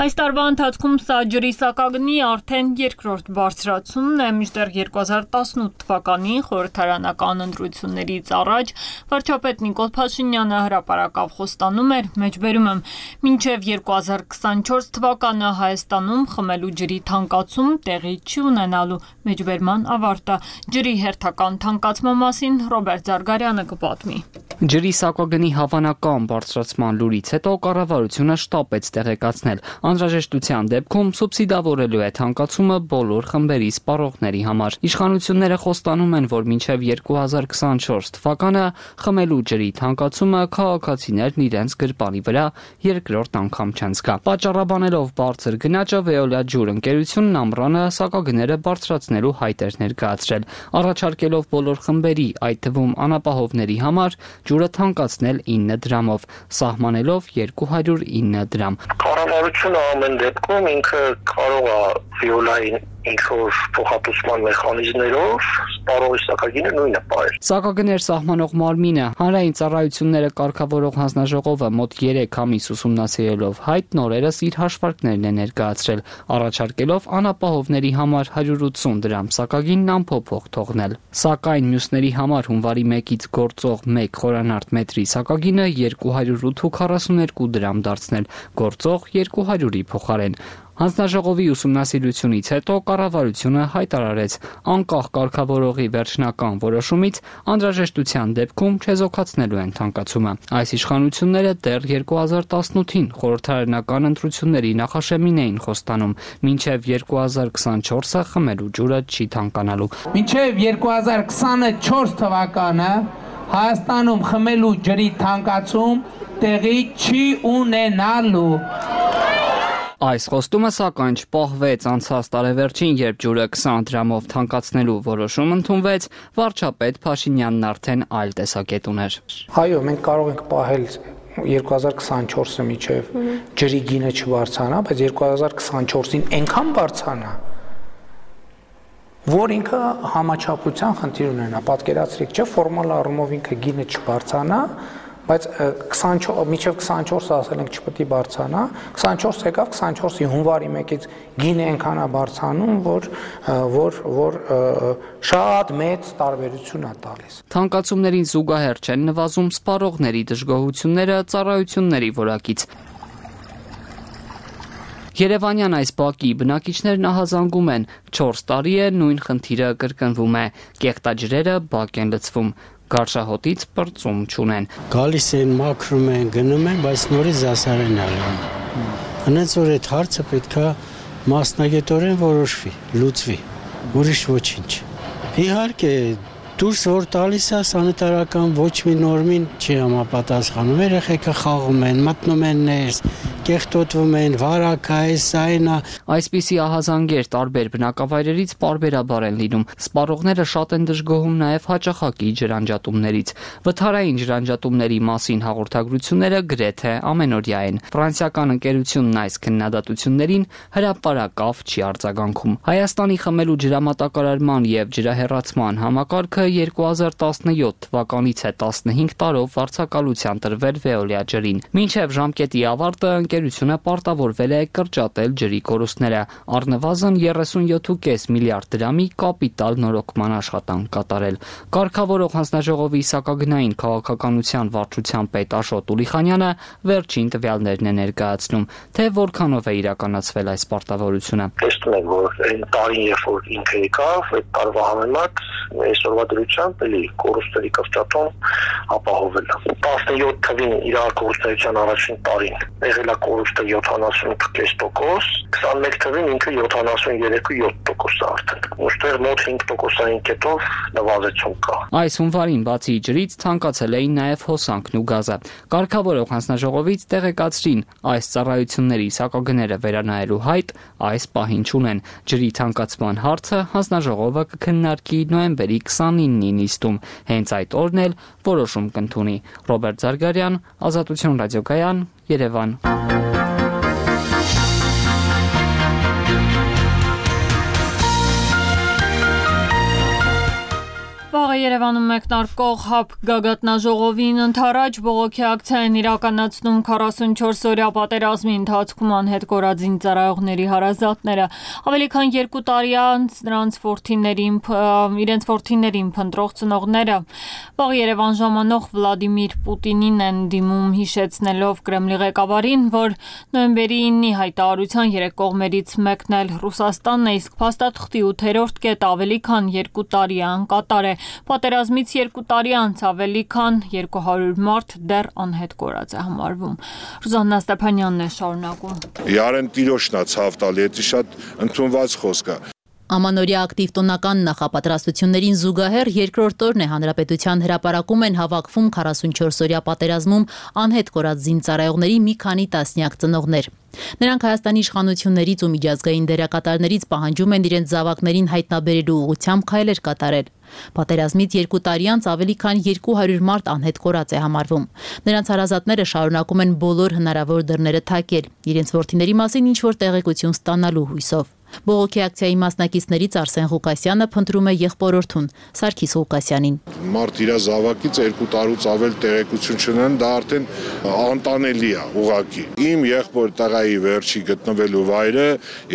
Այս տարվա ընթացքում սա ջրի սակագնի արդեն երկրորդ բարձրացումն է, մինչդեռ 2018 թվականին խորհրդարանական ընտրություններից առաջ վարչապետ Նիկոլ Փաշինյանը հրապարակավ խոստանում էր, մեջբերում եմ, մինչև 2024 թվականը Հայաստանում խմելու ջրի թանկացում տեղի չի ունենալու, մեջբերման ավարտը։ Ջրի հերթական թանկացման մասին Ռոբերտ Զարգարյանը կպատմի։ Ջրի սակագնի հավանական բարձրացման լուրից հետո կառավարությունը շտապեց տեղեկացնել, անհրաժեշտության դեպքում սուբսիդավորելու է թանկացումը բոլոր խմբերի սպառողների համար։ Իշխանությունները խոստանում են, որ մինչև 2024 թվականը խմելու ջրի թանկացումը քաղաքացիներն իրենց գրպանի վրա երկրորդ անգամ չեն զգա։ Պատճառաբանելով բարձր գնաճը Veolia ջուրընկերությունն ամռանը սակագները բարձրացնելու հայտ էր ներկայացրել, առաջարկելով բոլոր խմբերի, այդ թվում անապահովների համար ջուրը թանկացնել 9 դրամով, սահմանելով 209 դրամ։ Կառավարությունը ամեն դեպքում ինքը կարող է Veolia-ին ինչ-որ փոխհատուցման մեխանիզմներով սպառողի սակագինը նույնը պահել։ Սակագներ սահմանող մարմինը հանրային ծառայությունները կարգավորող հանձնաժողովը մոտ 3 ամիս ուսումնասիրելով հայտ նորերս իր հաշվարկներն է ներկայացրել, առաջարկելով անապահովների համար 180 դրամ սակագինն անփոփոխ թողնել։ Սակայն մյուսների համար հունվարի 1-ից գործող 1 խորանարդ մետրի սակագինը 208.42 դրամ դարձնել, գործող 200-ի փոխարեն։ Հանձնաժողովի ուսումնասիրությունից հետո կառավարությունը հայտարարեց անկախ կարգավորողի վերջնական որոշումից անհրաժեշտության դեպքում չեզոքացնելու են թանկացումը։ Այս իշխանությունները դեռ 2018-ին խորհրդարանական ընտրությունների նախաշեմին էին խոստանում, մինչև 2024-ը խմելու ջուրը չի թանկանալու։ Մինչև 2024 թվականը Հայաստանում խմելու ջրի թանկացում տեղի չի ունենալու։ Այս խոստումը սակայն չպահվեց անցած տարեվերջին, երբ ջուրը 20 դրամով թանկացնելու որոշում ընդունվեց, վարչապետ Փաշինյանն արդեն այլ տեսակետ ուներ։ Այո, մենք կարող ենք պահել 2024-ը միջև ջրի գինը չբարձրանա, բայց 2024-ին այնքան բարձրանա, որ ինքը համաչափության խնդիր ունենա։ Պատկերացրեք, չէ, ֆորմալ առումով ինքը գինը չբարձրանա, բայց 24 միջև 24-ը ասել ենք չպետք է բարձրանա, 24 եկավ, 24-ի հունվարի 1-ից գինը այնքան է բարձրանում, որ շատ մեծ տարբերություն է տալիս։ Թանկացումներին զուգահեռ չեն նվազում սպառողների դժգոհությունները ծառայությունների որակից։ Երևանյան այս բակի բնակիչներն ահազանգում են, 4 տարի է նույն խնդիրը կրկնվում է, կեղտաջրերը բակ են լցվում, գարշահոտից պրծում չունեն։ Գալիս են, մաքրում են, գնում են, բայց նորից զասարեն ալնում։ Հենց որ այդ հարցը պետքա մասնագետորեն որոշվի, լուծվի, ուրիշ ոչինչ։ Իհարկե, դուրս որ տալիս է սանիտարական ոչ մի նորմին չի համապատասխանում, երեխեքը խաղում են, մտնում են ներս, կեղտոտվում են, վարակա էս այնա։ Այսպիսի ահազանգեր տարբեր բնակավայրերից պարբերաբար են լինում։ Սպառողները շատ են դժգոհում նաև հաճախակի ջրանջատումներից։ Վթարային ջրանջատումների մասին հաղորդագրությունները գրեթե ամենօրյա են։ Ֆրանսիական ընկերությունն այս քննադատություններին հրապարակավ չի արձագանքում։ Հայաստանի խմելու ջրամատակարարման եւ ջրահեռացման համակարգը 2017 թվականից է 15 տարով վարձակալության տրվել Veolia ջրին։ Մինչև ժամկետի ավարտը ընկերությունը պարտավորվել է կրճատել ջրի կորուստները, առնվազն 37.5 միլիարդ դրամի կապիտալ նորոգման աշխատանք կատարել։ Կարգավորող հանձնաժողովի սակագնային քաղաքականության վարչության պետ Աշոտ Ուլիխանյանը վերջին տվյալներն է ներկայացնում, թե որքանով է իրականացվել այս պարտավորությունը։ Տեսնում եք, որ այն տարին, երբ որ ինքը եկավ, այդ տարվա համեմատ այսօրվա դրությամբ էլի կորուստների կրճատում ապահովել է։ 17 թվին իր կորուստության առաջին տարին եղել է կորուստը 78.5%, 21 թվին ինքը 73.7% արդեն։ Ոստեղ մոտ 5%-ային կետով նվազեցում կա։ Այս հունվարին բացի ջրից թանկացել էին նաև հոսանքն ու գազը։ Կարգավորող հանձնաժողովից տեղեկացրին, այս ծառայությունների սակագները վերանայելու հայտ այս պահին չունեն։ Ջրի թանկացման հարցը հանձնաժողովը կքննարկի նոյեմբերի 29 29-ի նիստում։ Հենց այդ օրն էլ որոշում կընդունի։ Ռոբերտ Զարգարյան, Ազատություն ռադիոկայան, Երևան։ Վաղը Երևանում մեկնարկող ՀԱՊ գագաթնաժողովին ընդառաջ բողոքի ակցիա են իրականացնում 44-օրյա պատերազմի ընթացքում անհետ կորած զինծառայողների հարազատները։ Ավելի քան 2 տարի անց իրենց որդիներին փնտրող ծնողները վաղ Երևան ժամանող Վլադիմիր Պուտինին են դիմում, հիշեցնելով Կրեմլի ղեկավարին, որ նոյեմբերի 9-ի հայտարարության 3 կողմերից մեկն էլ Ռուսաստանն է, իսկ փաստաթղթի 8-րդ կետը ավելի քան 2 տարի անկատար է։ Պատերազմից 2 տարի անց ավելի քան 200 մարդ դեռ անհետ կորած է համարվում։ Ռուզաննա Ստեփանյանն է շարունակում։ Յարեն տիրոշնա ցավ տալի, դա շատ ընդունված խոսք է։ Ամանորյա ակտիվ տոնական նախապատրաստություններին զուգահեռ երկրորդ օրն է հանրապետության հրապարակում են հավաքվում 44-օրյա պատերազմում անհետ կորած զինծառայողների մի քանի տասնյակ ծնողներ։ Նրանք Հայաստանի իշխանություններից ու միջազգային դերակատարներից պահանջում են իրենց զավակներին հայտնաբերելու ուղղությամբ քայլեր կատարել։ Պատերազմից 2 տարի անց ավելի քան 200 մարդ անհետ կորած է համարվում։ Նրանց հարազատները շարունակում են բոլոր հնարավոր դռները թակել, իրենց որդիների մասին ինչ-որ տեղեկություն ստանալու հույսով։ Բողոքի ակցիայի մասնակիցներից Արսեն Ղուկասյանը փնտրում է եղբորորդուն Սարգիս Ղուկասյանին։ Մարդ իր զավակից 2 տարուց ավել տեղեկություն չունեն, դա արդեն անտանելի է ուղղակի։ Իմ եղբոր տղայի վերջի գտնվելու վայրը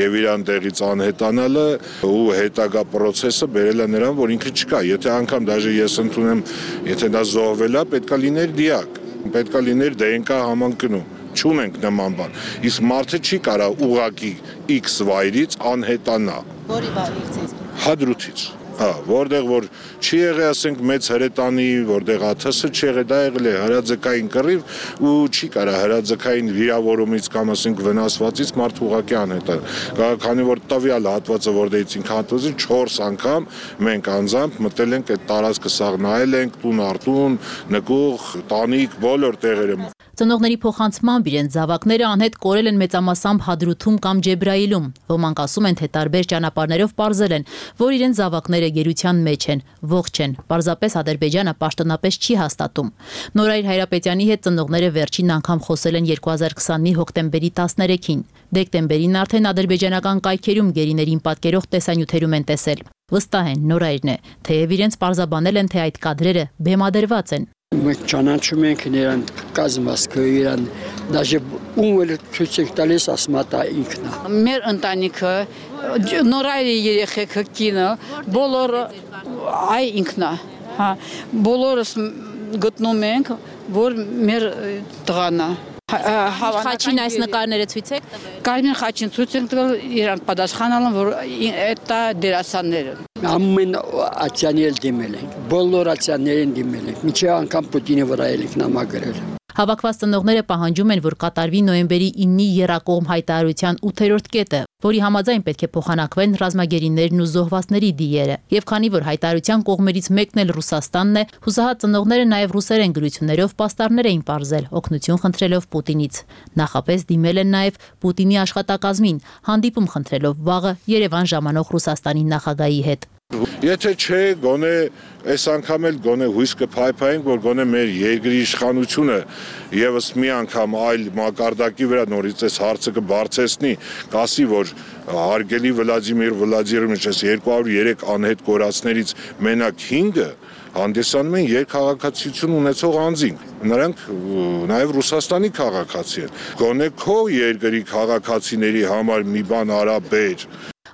եւ իրան տեղից անհետանալը ու հետագա process-ը բերել է նրան, որ ինքը չկա։ Եթե անգամ դաժե ես ընդունեմ, եթե դա զոհվել է, պետքա լիներ դիակ, պետքա լիներ ԴՆԿ համընկնում։ Չունենք նման բան։ Իսկ մարդը չի կարա ուղակի X վայրից անհետանա։ Որի վայրից։ Հադրութից։ Որտեղ որ չի եղել, ասենք մեծ հրետանի, որտեղ ԱԹՍ չի եղել, դա եղել է հրաձգային կռիվ ու չի կարա հրաձգային վիրավորումից կամ ասենք վնասվածից մարդ ուղակի անհետանա։ Քանի որ տվյալ հատվածը որտեղից ինքը հատվածը 4 անգամ մենք անձամբ մտել ենք այդ տարածքը սաղ նայել ենք, տուն արտուն, նկուղ, տանիք, բոլոր տեղերը։ Ծնողների փոխանցմամբ իրենց զավակները անհետ կորել են մեծամասամբ Հադրութում կամ Ջեբրայիլում։ Ոմանք ասում են, թե տարբեր ճանապարհներով պարզել են, որ իրենց զավակները գերության մեջ են, ողջ են։ Պարզապես Ադրբեջանը պաշտոնապես չի հաստատում։ Նորայր Հայրապետյանի հետ ծնողները վերջին անգամ խոսել են 2020-ի հոկտեմբերի 13-ին։ Դեկտեմբերին արդեն ադրբեջանական կայքերում գերիներին պատկերող տեսանյութերում են տեսել։ Վստահ են Նորայրն է, թեև իրենց պարզաբանել են, թե այդ կադրերը բեմադրված են։ Մենք ճանաչում ենք իրան կազմվածքը, իրան դաժե ում էլ ցույց ենք տալիս, ասում է ինքն է։ Մեր ընտանիքը, Նորայրի երեխեքը, կինը, բոլորը այ ինքն է։ Բոլորս գտնում ենք, որ մեր տղան է։ Խաչին այս նկարները ցույց եք տվել։ Կարմիր խաչին ցույց ենք տվել, իրան պատասխանալն, որ դա դերասաններ են։ Ամեն ացիանել դիմել ենք, բոլոր ացիաներին դիմել ենք, միջև անգամ Պուտինի վրա ելիք նամակերել։ Հավաքված ծնողները պահանջում են, որ կատարվի նոյեմբերի 9-ի եռակողմ հայտարարության 8-րդ կետը, որի համաձայն պետք է փոխանակվեն ռազմագերիներն ու զոհվածների դիերը։ Եվ քանի որ հայտարարության կողմերից մեկն էլ Ռուսաստանն է, հուսահատ ծնողները նաև ռուսերեն գրություններով պաստառներ էին պարզել, օգնություն խնդրելով Պուտինից։ Նախապես դիմել են նաև Պուտինի աշխատակազմին, հանդիպում խնդրելով վաղը Երևան ժամանող Ռուսաստանի նախագահի հետ։ Եթե չէ, գոնե այս անգամ էլ գոնե հույս կփայփայենք, որ գոնե մեր երկրի իշխանությունը եւս մի անգամ այլ մակարդակի վրա նորից այս հարցը կբարձրացնի, կասի, որ հարգելի Վլադիմիր Վլադիմիրովիչ, 203 անհետ կորածներից մենակ 5-ը հանդիսանում են երկխաղացություն ունեցող անձինք։ Նրանք նաև Ռուսաստանի քաղաքացի են։ Գոնե քո երկրի քաղաքացիների համար մի բան արա բեր։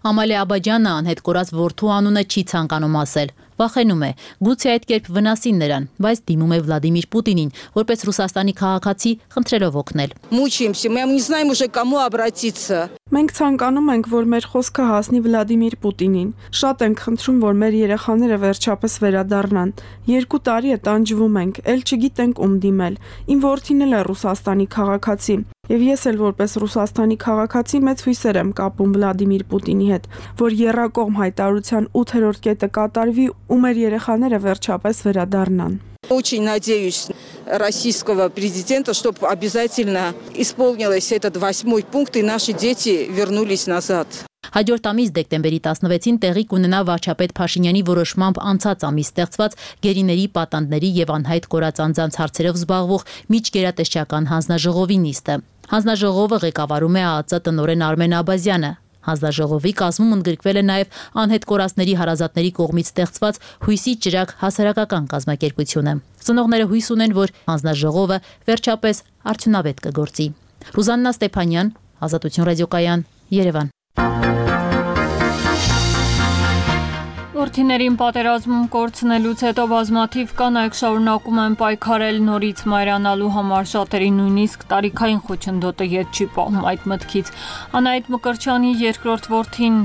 Ամալե Աբաջյանը անհետ կորած որդու անունը չի ցանկանում ասել։ Վախենում է, գուցե այդ կերպ վնասին նրան, բայց դիմում է Վլադիմիր Պուտինին, որպես Ռուսաստանի քաղաքացի, խնդրելով օգնել։ Մուչիմся, мы не знаем уже кому обратиться։ Մենք ցանկանում ենք, որ մեր խոսքը հասնի Վլադիմիր Պուտինին։ Շատ ենք խնդրում, որ մեր երեխաները վերջապես վերադառնան։ 2 տարի է տանջվում ենք, ել չգիտենք ում դիմել։ Իմ որդին էլ է Ռուսաստանի քաղաքացի։ Եվ ես էլ որպես Ռուսաստանի քաղաքացի մեծ հույսեր եմ կապում Վլադիմիր Պուտինի հետ, որ եռակողմ հայտարարության 8-րդ կետը կատարվի ու մեր երեխաները վերջապես վերադառնան։ Очень надеюсь российского президента, чтобы обязательно исполнилось этот 8-й пункт и наши дети вернулись назад. Հաջորդ ամիս դեկտեմբերի 16-ին տեղի կունենա վարչապետ Փաշինյանի որոշմամբ անցած ամիս ստեղծված գերիների, պատանդների եւ անհայտ կորած անձանց հարցերով զբաղվող միջգերատեսչական հանձնաժողովի նիստը։ Հանձնաժողովը ղեկավարում է ԱԱԾ տնօրեն Արմեն Աբազյանը։ Հանձնաժողովի կազմում ընդգրկվել է նաև անհետ կորածների հարազատների կողմից ստեղծված Հույսի ճրագ հասարակական կազմակերպությունը։ Ծնողները հույս ունեն, որ հանձնաժողովը վերջապես արդյունավետ կգործի։ Ռուզաննա Ստեփանյան, Ազատություն ռադիոկայան, Երևան։ Որդիներին պատերազմում կորցնելուց հետո բազմաթիվ կանայք շարունակում են պայքարել նորից մայրանալու համար, շատերի նույնիսկ տարիքային խոչընդոտը ետ չի պահում այդ մտքից։ Անահիտ Մկրտչյանի երկրորդ որդին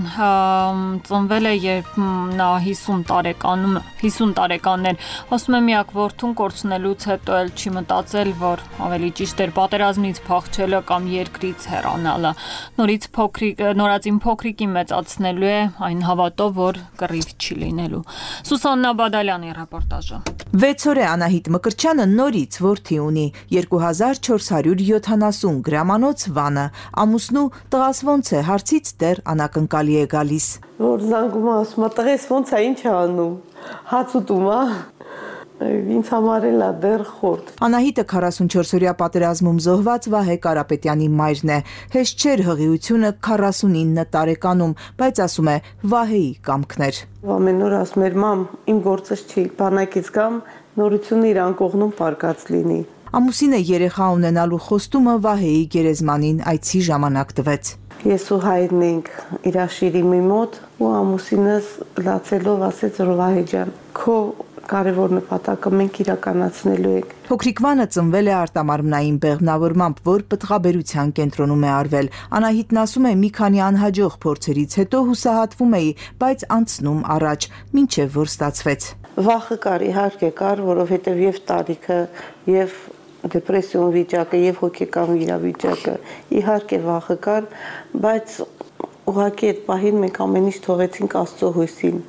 ծնվել է, երբ նա 50 տարեկան էր, ասում է միակ որդուն կորցնելուց հետո էլ չի մտածել, որ ավելի ճիշտ էր պատերազմից փախչելը կամ երկրից հեռանալը։ Նորածին փոքրիկի մեծացնելու է այն հավատով, որ կռիվ չի լինելու։ Սուսաննա Բադալյանի ռեպորտաժը։ 6 օր է Անահիտ Մկրտչյանը նորից որդի ունի 2470 գրամանոց Վանը։ Ամուսնու տղաս ոնց է, հարցից դեռ անակնկալի է գալիս։ Որ զանգում ասում է տղես ոնց է, ինչ է անում, հաց ուտում է։ Ինձ համար էլ է դեռ խորտ։ Անահիտը 44-օրյա պատերազմում զոհված Վահե Կարապետյանի մայրն է։ Հեշտ չէր հղիությունը 49 տարեկանում, բայց ասում է Վահեի կամքներ։ Ամեն օր ասում էր մամ, իմ գործս չի, բանակից գամ, նորությունը իրան կողնում պարկած լինի։ Ամուսինը երեխա ունենալու խոստումը Վահեի գերեզմանին այցի ժամանակ տվեց։ Ես ու հայրն ենք իր շիրիմի մոտ ու ամուսինս լացելով ասեց որ Վահե ջան, քո կարևոր նպատակը մենք իրականացնելու ենք։ Փոքրիկ Վանը ծնվել է արտամարմնային բեղմնավորմամբ, որ պտղաբերության կենտրոնում է արվել։ Անահիտն ասում է մի քանի անհաջող փորձերից հետո հուսահատվում էի, բայց անցնում առաջ, մինչև որ ստացվեց։ Վախը կար, իհարկե կար, որովհետև եւ տարիքը, եւ դեպրեսիոն վիճակը, եւ հոգեկան վիրավիճակը, իհարկե վախը կար, բայց ուղղակի այդ պահին մենք ամեն ինչ թողեցինք Աստծո հույսին։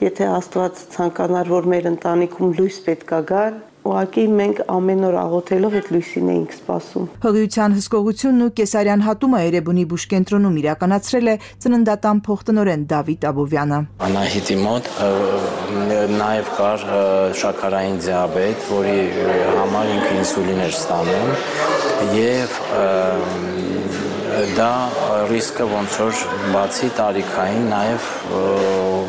Եթե Աստված ցանկանար, որ մեր ընտանիքում լույս պետք է գար, ուղղակի մենք ամեն օր աղոթելով այդ լույսին էինք սպասում։ Հղիության հսկողությունն ու կեսարյան հատումը Էրեբունի բուժկենտրոնում իրականացրել է ծննդատան փոխտնօրեն Դավիթ Աբովյանը։ Անահիտի մոտ նաև կար շաքարային դիաբետ, որի համար ինքը ինսուլին էր ստանում եւ դա ռիսկը ոնց որ բացի տարիքային նաև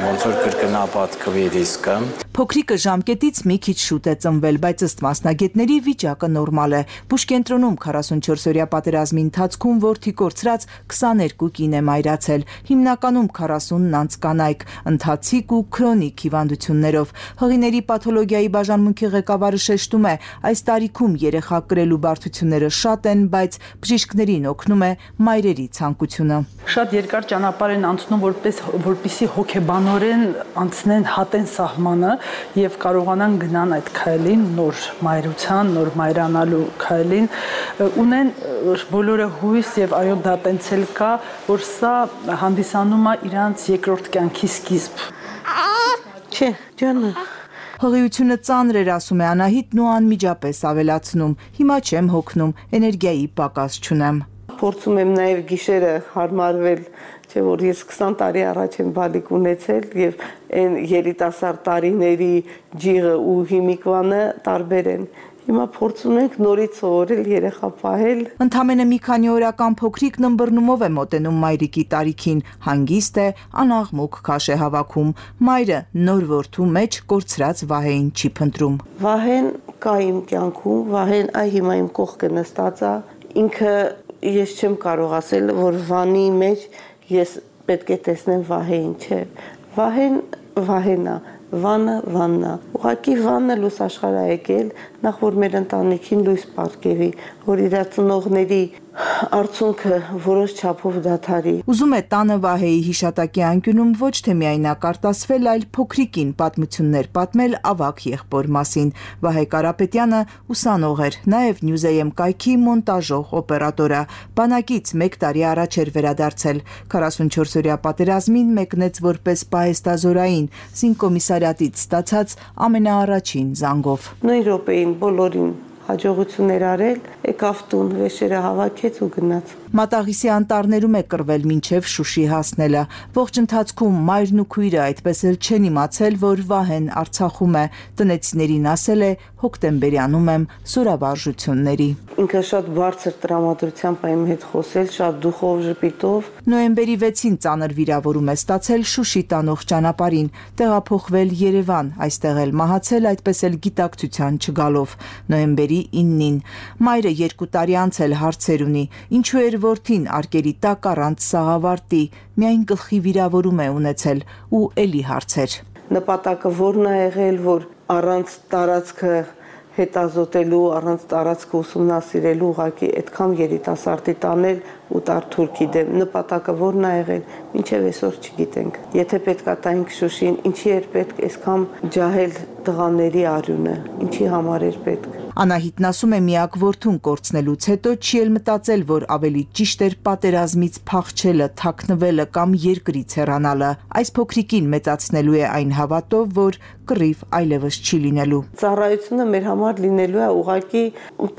ոնց որ կրկնապատկվի ռիսկը։ Փոքրիկը ժամկետից մի քիչ շուտ է ծնվել, բայց ըստ մասնագետների վիճակը նորմալ է։ Բուժկենտրոնում 44-օրյա պատերազմի ընթացքում որդի կորցրած 22 կին է մայրացել, հիմնականում 40-ն անց կանայք, ընթացիկ ու քրոնիկ հիվանդություններով։ Հղիների պաթոլոգիայի բաժանմունքի ղեկավարը շեշտում է, այս տարիքում երեխա կրելու բարդությունները շատ են, բայց բժիշկներին օգնում է մայրերի ցանկությունը։ Շատ երկար ճանապարհ են անցնում, որպեսզի հոգեբանորեն անցնեն, հատեն սահմանը եւ կարողանան գնան այդ քայլին, նոր մայրության, նոր մայրանալու քայլին, ունեն բոլորը հույս եւ այո դա տենց էլ կա, որ սա հանդիսանում է իրանց երկրորդ կյանքի սկիզբ։ Չէ, ջանը։ Հղիությունը ծանր էր, ասում է Անահիտն ու անմիջապես ավելացնում. Հիմա չեմ հոգնում, էներգիայի պակաս չունեմ։ Փորձում եմ նաև գիշերը հարմարվել, չէ որ ես 20 տարի առաջ եմ բալիկ ունեցել եւ այն երիտասարդ տարիների ջիղը ու հիմիկվանը տարբեր են։ Հիմա փորձում ենք նորից սովորել երեխա պահել։ Ընդամենը մի քանի օրական փոքրիկն ըմբռնումով է մոտենում մայրիկի տարիքին, հանգիստ է, անաղմուկ քաշ է հավաքում։ Մայրը նոր որդու մեջ կորցրած Վահեին չի փնտրում։ Վահեն կա իմ կյանքում, Վահեն այ հիմա իմ կողքը նստած է, ինքը ես չեմ կարող ասել, որ Վանի մեջ ես պետք է տեսնեմ Վահեին, չէ։ Վահեն Վահենա, Վանը Վաննա։ Ուղղակի Վանը լույս աշխարհ է եկել, նախ որ մեր ընտանիքին լույս պարգևի, որ իր ծնողների արդյունքը որոշ չափով դադարի։ Ուզում է տանը Վահեի հիշատակի անկյունում ոչ թե միայնակ արտասվել, այլ փոքրիկին պատմություններ պատմել ավագ եղբոր մասին։ Վահե Կարապետյանը ուսանող էր, նաև Newsam կայքի մոնտաժող օպերատորը։ Բանակից 1 տարի առաջ էր վերադարձել։ 44-օրյա պատերազմին մեկնեց որպես պահեստազորային, զինկոմիսարիատից ստացած ամենաառաջին զանգով։ Նույն րոպեին բոլորին հաջողություններ արել, եկավ տուն, վեշերը հավաքեց ու գնաց։ Մատաղիսի անտառներում է կռվել մինչև Շուշի հասնելը։ Ողջ ընթացքում մայրն ու քույրը այդպես էլ չեն իմացել, որ Վահեն Արցախում է։ Տնեցիներին ասել է՝ հոկտեմբերյանում եմ սուրավարժությունների։ Ինքը շատ բարձր տրամադրությամբ է իմ հետ խոսել, շատ դուխով, ժպիտով։ Նոյեմբերի 6-ին ծանր վիրավորում է ստացել Շուշի տանող ճանապարհին, տեղափոխվել Երևան, այստեղ էլ մահացել, այդպես էլ գիտակցության չգալով։ Նոյեմբերի 9-ին մայրը 2 տարի անց էլ հարցեր ունի, ինչու էր որդին արկերի տակ առանց սաղավարտի, միայն գլխի վիրավորում է ունեցել ու էլի հարցեր։ Նպատակը որն է եղել, որ առանց տարածքը հետազոտելու, առանց տարածքը ուսումնասիրելու ուղղակի այդքան երիտասարդի տանել ու տար թուրքի դեմ։ Նպատակը որն է եղել, մինչև այսօր չգիտենք։ Եթե պետքա տայինք Շուշին, ինչի էր պետք այսքան ջահել տղաների արյունը, ինչի համար էր պետք։ Անահիտն ասում է միակ որդուն կորցնելուց հետո չի էլ մտածել, որ ավելի ճիշտ էր պատերազմից փախչելը, թաքնվելը կամ երկրից հեռանալը։ Այս փոքրիկին մեծացնելու է այն հավատով, որ կռիվ այլևս չի լինելու։ Ծառայությունը մեր համար լինելու է ուղղակի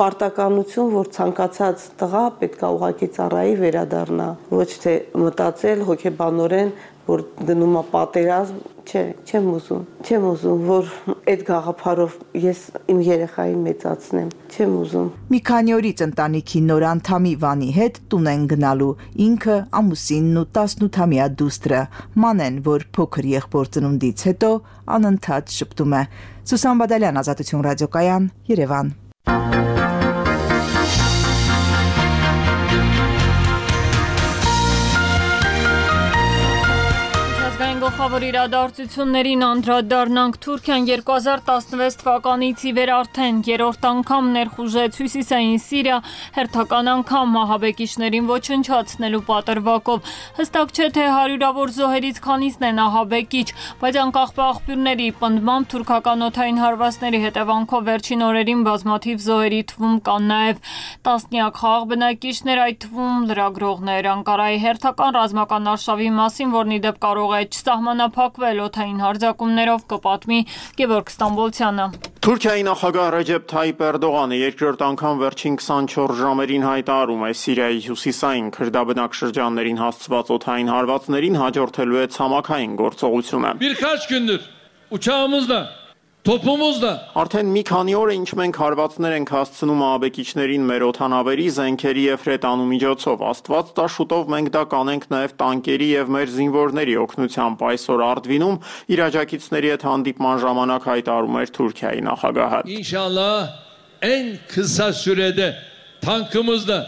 պարտականություն, որ ցանկացած տղա պետքա ուղղակի ծառայի վերադառնա, ոչ թե մտածել հոգեբանորեն, որ դնում է պատերազմ, չեմ ուզում, որ այդ գաղափարով ես իմ երեխային մեծացնեմ, չեմ ուզում։ Մի քանի օրից ընտանիքի նոր անդամի Վանի հետ տուն են գնալու, ինքը, ամուսինն ու 18-ամյա դուստրը, Մանեն, որ փոքր եղբոր ծնունդից հետո անընդհատ շփտում է։ Սուսան Բադալյան, Ազատություն ռադիոկայան, Երևան։ Գլխավոր իրադարձություններին անդրադառնանք։ Թուրքիան 2016 թվականից ի վեր արդեն երրորդ անգամ ներխուժեց Հյուսիսային Սիրիա, հերթական անգամ մահաբեկիչներին ոչնչացնելու պատրվակով։ Հստակ չէ, թե հարյուրավոր զոհերից քանիսն են ահաբեկիչ, բայց անկախ աղբյուրների պնդմամբ թուրքական օդային հարվածների հետևանքով վերջին օրերին բազմաթիվ զոհերի թվում կան նաև տասնյակ խաղաղ բնակիչներ, այդ թվում լրագրողներ։ Անկարայի հերթական ռազմական արշավի մասին, որն ի դեպ կարող է սահմանափակվել օդային հարձակումներով, կպատմի Գևորգ Ստամբոլցյանը։ Թուրքիայի նախագահ Ռեջեփ Թայիպ Էրդողանը երկրորդ անգամ վերջին 24 ժամերին հայտարարում է Սիրիայի հյուսիսային քրդաբնակ շրջաններին հասցված օդային հարվածներին հաջորդելու է ցամաքային գործողությունը։ Bir kaç gündür uçağımızla Topumuzda Արդեն մի քանի օր է ինչ մենք հարվածներ ենք հասցնում ահաբեկիչներին մեր օդանավերի, զենքերի եւ հրետանու միջոցով։ Աստված տա շուտով մենք դա կանենք նաեւ տանկերի եւ մեր զինվորների օգնությամբ։ Այսօր Արդվինում իր աջակիցների հետ հանդիպման ժամանակ հայտարարում էր Թուրքիայի նախագահը։ İnşallah en kısa sürede tankımızla,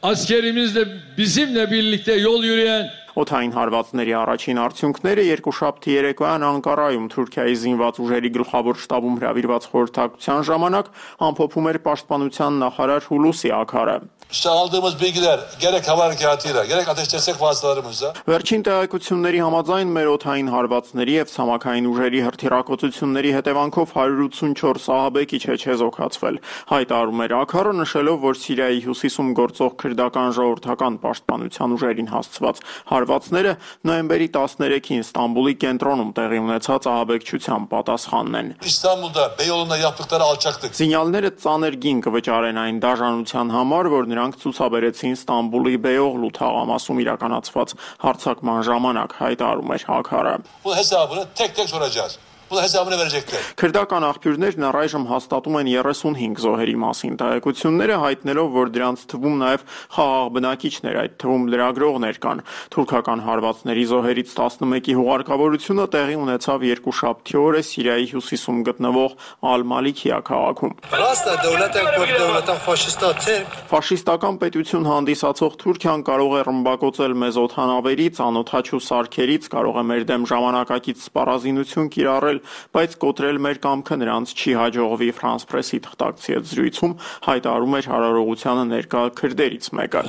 askerimizle bizimle birlikte yol yürüyen Օդային հարվածների առաջին արդյունքները երկուշաբթի երեկոյան Անկարայում Թուրքիայի զինված ուժերի գլխավոր շտաբում հրավիրված խորհրդակցության ժամանակ ամփոփում էր պաշտպանության նախարար Հուլուսի Աքարը։ İşte aldığımız bilgiler gerek hava harekatıyla gerek ateş destek vasıtalarımızla Վերջին տեղեկությունների համաձայն մեր օդային հարվածների եւ ցամաքային ուժերի հրթիռակոծությունների հետևանքով 184 ահաբեկիչ է չեզոքացվել։ Հայտարարում էր Աքարը, նշելով, որ Սիրիայի հյուսիսում գործող քրդական ժողովրդական պաշտպանության ուժերին հասցված հարվածները նոյեմբերի 13-ին Ստամբուլի կենտրոնում տեղի ունեցած ահաբեկչության պատասխանն են։ İstanbul'da Beyoğlu'nda yaptıkları alçaklık Զինյալները ծանր գին կվճարեն այն դաժանության համար, որ նրանք ցուցաբերեցին Ստամբուլի Բեյողլու թաղամասում իրականացված հարձակման ժամանակ, հայտարարում էր Աքարը։ Bu hesabını tek tek soracağız. Bunun hesabını verecekler. Քրդական աղբյուրներն առայժմ հաստատում են 35 զոհերի մասին տեղեկությունները, հայտնելով, որ դրանց թվում նաև խաղաղ բնակիչներ, այդ թվում լրագրողներ կան։ Թուրքական հարվածների զոհերից 11-ի հուղարկավորությունը տեղի ունեցավ երկուշաբթի օրը Սիրիայի հյուսիսում գտնվող Ալ-Մալիքիա քաղաքում։ Ֆաշիստական պետություն հանդիսացող Թուրքիան կարող է ռմբակոծել մեզ օդանավերից, անօդաչու սարքերից, կարող է մեր դեմ ժամանակակից սպառազինություն կիրառել, բայց կոտրել մեր կամքը նրանց չի հաջողվի Ֆրանս Պրեսի թղթակցի հետ զրույցում հայտարարում էր հարարողությանը ներկա քրդերից մեկը։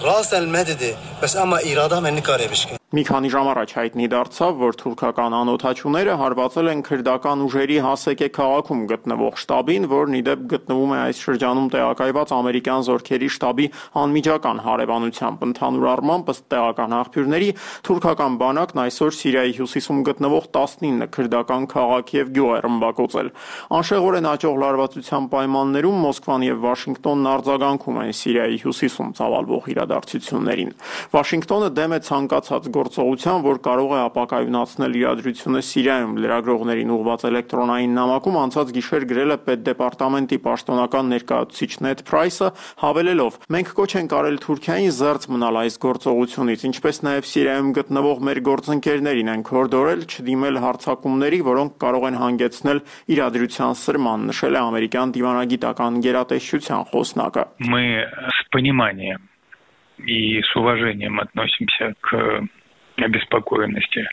Մի քանի ժամ առաջ հայտնի դարձավ, որ թուրքական անօդաչուները հարվածել են քրդական ուժերի Հասեկե քաղաքում գտնվող շտաբին, որն ի դեպ գտնվում է այս շրջանում տեղակայված ամերիկյան զորքերի շտաբի անմիջական հարևանությամբ։ Ընդհանուր առմամբ, ըստ տեղական աղբյուրների, թուրքական բանակն այսօր Սիրիայի հյուսիսում գտնվող 19 քրդական քաղաք եւ գյուղ է ռմբակոծել։ Անշեղորեն աճող լարվածության պայմաններում Մոսկվան եւ Վաշինգտոնն արձագանքում են Սիրիայի հյուսիսում ծավալվող իրադարձություններին։ Վաշինգտոնը դեմ է ցանկացած գործողության, որ կարող է ապակայունացնել իրադրությունը Սիրիայում, լրագրողներին ուղղված էլեկտրոնային նամակում անցած գիշեր գրել է պետդեպարտամենտի պաշտոնական ներկայացուցիչ Նեդ Փրայսը, հավելելով. «Մենք կոչ ենք արել Թուրքիային զերծ մնալ այս գործողությունից, ինչպես նաև Սիրիայում գտնվող մեր գործընկերներին ենք հորդորել չդիմել հարձակումների, որոնք կարող են հանգեցնել իրադրության սրման», նշել է ամերիկյան դիվանագիտական գերատեսչության խոսնակը։ Мы с пониманием и с уважением относимся к обеспокоенности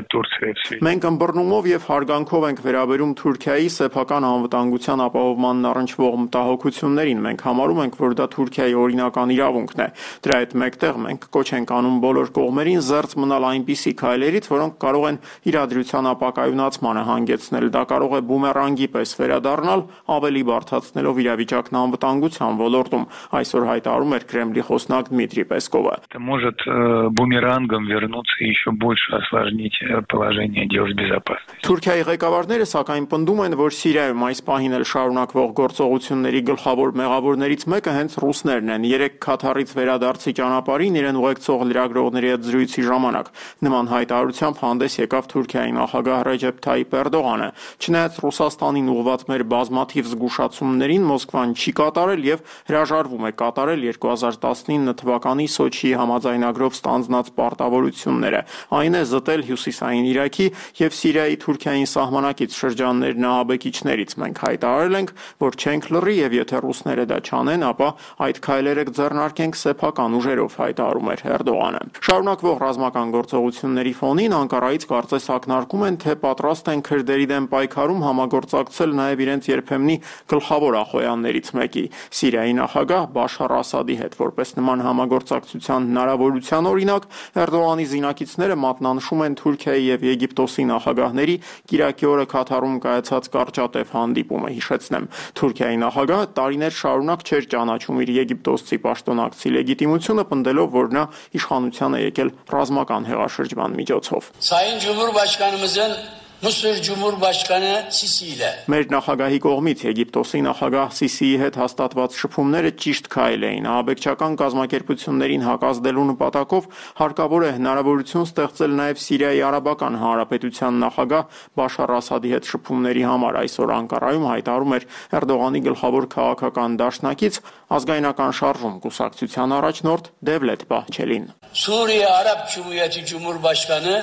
Турции. Մենք ըմբռնումով եւ հարգանքով ենք վերաբերում Թուրքիայի սեփական անվտանգության ապահովմանն առնչվող մտահոգություններին։ Մենք համարում ենք, որ դա Թուրքիայի օրինական իրավունքն է։ Դրա հետ մեկտեղ մենք կոչ ենք անում բոլոր կողմերին զերծ մնալ այնպիսի քայլերից, որոնք կարող են իրադրության ապակայունացմանը հանգեցնել։ Դա կարող է բումերանգի պես վերադառնալ, ավելի բարդացնելով իրավիճակն անվտանգության ոլորտում, այսօր հայտարարում էր Կրեմլի խոսնակ Դմիտրի Պեսկովը։ Это может бумерангом вернуться и еще больше осложнить положение дел с безопасностью. Թուրքիայի ղեկավարները սակայն պնդում են, որ Սիրիայում այս պահին էլ շարունակվող գործողությունների գլխավոր մեղավորներից մեկը հենց ռուսներն են։ Երեք Քաթարից վերադարձի ճանապարհին իրեն ուղեկցող լրագրողների հետ զրույցի ժամանակ նման հայտարարությամբ հանդես եկավ Թուրքիայի նախագահ Ռեջեփ Թայիփ Էրդողանը։ Չնայած Ռուսաստանին ուղղված մեր բազմաթիվ զգուշացումներին Մոսկվան չի կատարել եւ հրաժարվում է կատարել 2019 թվականի Սոչիի համաձայնագրով ստանձնած պարտավորությունները։ Այն է զտել հյուսիսային Իրաքի եւ Սիրիայի Թուրքիային սահմանակից շրջաններն ահաբեկիչներից։ Մենք հայտարարել ենք, որ չենք լռի եւ եթե ռուսները դա չանեն, ապա այդ քայլերը կձեռնարկենք սեփական ուժերով, հայտարարում էր Էրդողանը։ Շարունակվող ռազմական գործողությունների ֆոնին Անկարայից կարծես ակնարկում են, թե պատրաստ են քրդերի դեմ պայքարում համագործակցել նաեւ իրենց երբեմնի գլխավոր ախոյաններից մեկի՝ Սիրիայի նախագահ Բաշար Ասադի հետ։ Որպես նման համագործակցության հնարավորության օրինակ, Էրդողանի զինակիցները մատնանշում են Թուրքիայի եւ Եգիպտոսի նախագահների կիրակի օրը Քաթարում կայացած կարճատև հանդիպումը։ Հիշեցնեմ, Թուրքիայի նախագահը տարիներ շարունակ չէր ճանաչում իր եգիպտոսցի պաշտոնակցի լեգիտիմությունը, պնդելով, որ նա իշխանության է եկել ռազմական հեղաշրջման միջոցով։ Sayın Cumhurbaşkanımızın Mısır Cumhurbaşkanı Sisi ile Մեր նախագահի կողմից Եգիպտոսի նախագահ Սիսիի հետ հաստատված շփումները ճիշտ քայլ էին։ Ահաբեկչական կազմակերպություններին հակազդելու նպատակով հարկավոր է հնարավորություն ստեղծել նաև Սիրիայի Արաբական Հանրապետության նախագահ Բաշար Ասադի հետ շփումների համար։ Այսօր Անկարայում հայտարարում էր Էրդողանի գլխավոր քաղաքական դաշնակից ազգայնական շարժում կուսակցության առաջնորդ Դևլետ Բահչելին։ Suriye Arap Cumhuriyeti Cumhurbaşkanı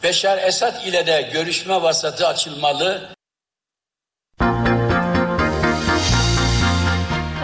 Beşar Esad ile de görüşme vasatı açılmalı.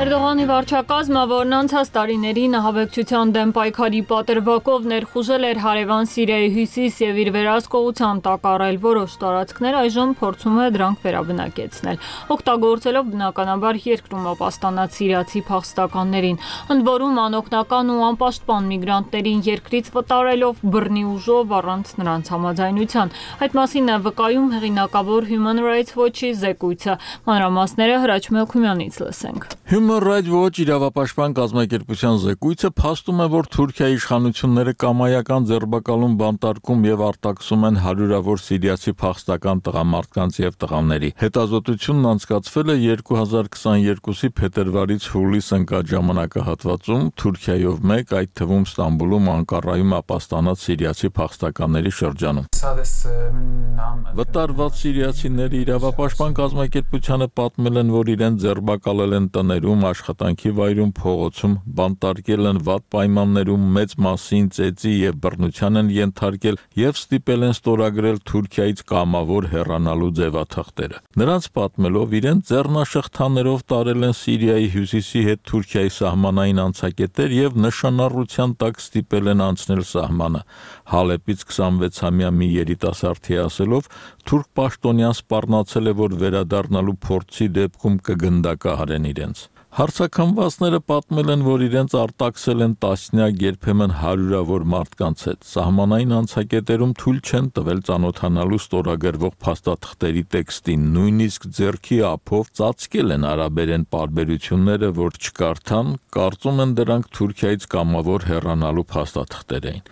Էրդողանի վարչակազմը, որն անցած տարիներին ահաբեկչության դեմ պայքարի պատրվակով ներխուժել էր հարևան Սիրիայի հյուսիս եւ իր վերահսկողության տակ առել որոշ տարածքներ, այժմ փորձում է դրանք վերաբնակեցնել, օգտագործելով բնականաբար երկրում ապաստանած սիրիացի փախստականներին, ընդ որում անօգնական ու անպաշտպան միգրանտներին երկրից վտարելով բռնի ուժով առանց նրանց համաձայնության։ Այդ մասին է վկայում հեղինակավոր Human Rights Watch-ի զեկույցը։ Մանրամասները Հրաչ Մելքումյանից լսենք։ Human Rights Watch իրավապաշտպան կազմակերպության զեկույցը փաստում է, որ Թուրքիայի իշխանությունները կամայական ձերբակալում, բանտարկում եւ արտաքսում են հարյուրավոր սիրիացի փախստական տղամարդկանց եւ տղաների։ Հետազոտությունն անցկացվել է 2022-ի փետրվարից հուլիս ընկած ժամանակահատվածում Թուրքիայով մեկ, այդ թվում Ստամբուլում, Անկարայում ապաստանած սիրիացի փախստականների շրջանում։ Վտարված սիրիացիները իրավապաշտպան կազմակերպությանը պատմել են, որ իրեն ձերբակալել են տներում, աշխատանքի վայրում, փողոցում, բանտարկել են վատ պայմաններում, մեծ մասին ծեծի եւ բռնության են ենթարկել եւ ստիպել են ստորագրել Թուրքիայից կամավոր հեռանալու ձևաթղթերը։ Նրանց պատմելով իրեն ձեռնաշղթաներով տարել են Սիրիայի հյուսիսի հետ Թուրքիայի սահմանային անցակետեր եւ նշանառության տակ ստիպել են անցնել սահմանը։ Հալեպից 26-ամյա մի երիտասարդի ասելով, թուրք պաշտոնյան սպառնացել է, որ վերադառնալու փորձի դեպքում կգնդակահարեն իրենց։ Հարցաքննվածները պատմել են, որ իրենց արտաքսել են տասնյակ, երբեմն հարյուրավոր մարդկանց հետ։ Սահմանային անցակետերում թույլ չեն տվել ծանոթանալու ստորագրվող փաստաթղթերի տեքստին, նույնիսկ ձեռքի ափով ծածկել են արաբերեն պարբերությունները, որ չկարդան, կարծում են դրանք Թուրքիայից կամավոր հեռանալու փաստաթղթեր էին։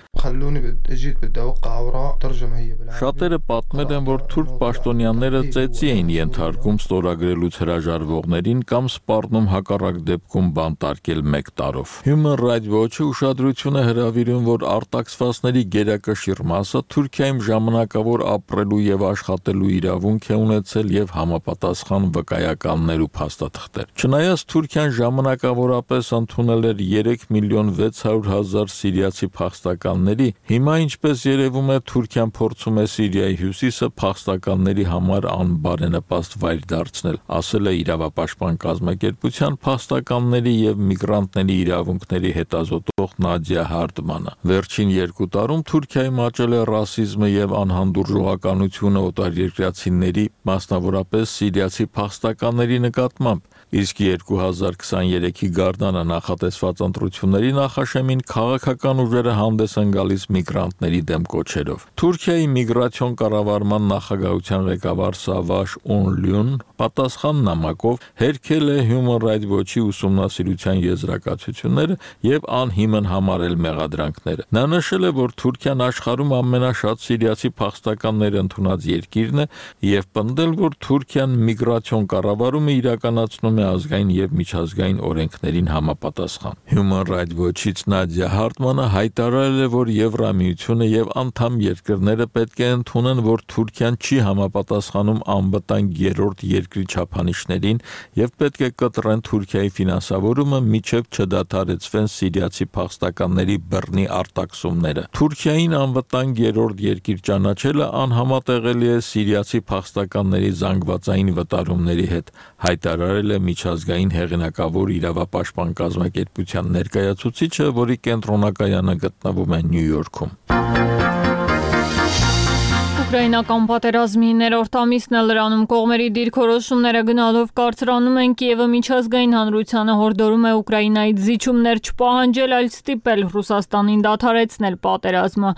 Շատերը պատմել են, որ թուրք պաշտոնյաները ծեծի էին ենթարկում ստորագրելուց հրաժարվողներին կամ սպառնում հակառակ դեպքում բանտարկել 1 տարով։ Human Rights Watch-ը ուշադրություն է հրավիրում, որ արտաքսվածների գերակշիռ մասը Թուրքիայում ժամանակավոր ապրելու եւ աշխատելու իրավունք է ունեցել եւ համապատասխան վկայականներ ու փաստաթղթեր։ Չնայած Թուրքիան ժամանակավորապես ընդունել էր 3.600.000 սիրիացի փախստականների, հիմա ինչպես երևում է Թուրքիան փորձում է Սիրիայի հյուսիսը փախստականների համար անբարենպաստ վայր դարձնել, ասել է իրավապաշտպան կազմակերպության փախստականների եւ միգրանտների իրավունքների հետազոտող Նադիա Հարդմանը։ Վերջին 2 տարում Թուրքիայում աճել է ռասիզմը եւ անհանդուրժողականությունը օտարերկրացիների, մասնավորապես սիրիացի փախստականների նկատմամբ, իսկ 2023-ի գարնանը նախատեսված ընտրությունների նախաշեմին քաղաքական ուժերը հանդես են գալիս միգրանտների դեմ կոչերով։ Թուրքիայի միգրացիոն կառավարման նախագահության ղեկավար Սավաշ Օնլյուն պատասխան նամակով հերքել է Human Rights Watch-ի ուսումնասիրության եզրակացությունները եւ անհիմն համարել մեղադրանքները։ Նա նշել է, որ Թուրքիան աշխարհում ամենաշատ սիրիացի փախստականներ ընդունած երկիրն է եւ պնդել, որ Թուրքիան միգրացիոն կառավարումը իրականացնում է ազգային եւ միջազգային օրենքներին համապատասխան։ Human Rights Watch-ից Նադիա Հարդմանը հայտարարել է, որ Եվրամիությունը եւ անդամ երկրները պետք է ընդունեն, որ Թուրքիան չի համապատասխանում անվտանգ երրորդ երկրի չափանիշներին եւ պետք է կտրեն Թուրքիայի ֆինանսավորումը, միջև չդադարեցվեն սիրիացի փախստականների բռնի արտաքսումները։ Թուրքիային անվտանգ երրորդ երկիր ճանաչելը անհամատեղելի է սիրիացի փախստականների զանգվածային վտարումների հետ, հայտարարել է միջազգային հեղինակավոր իրավապաշտպան կազմակերպության ներկայացուցիչը, որի կենտրոնակայանը գտնվում է Նյու Յորքում։ Ուկրաինական պատերազմի 9-րդ ամիսն է լրանում, կողմերի դիրքորոշումները գնալով կարծրանում են, Կիևը միջազգային հանրությանը հորդորում է Ուկրաինայից զիջումներ չպահանջել, այլ ստիպել Ռուսաստանին դադարեցնել պատերազմը։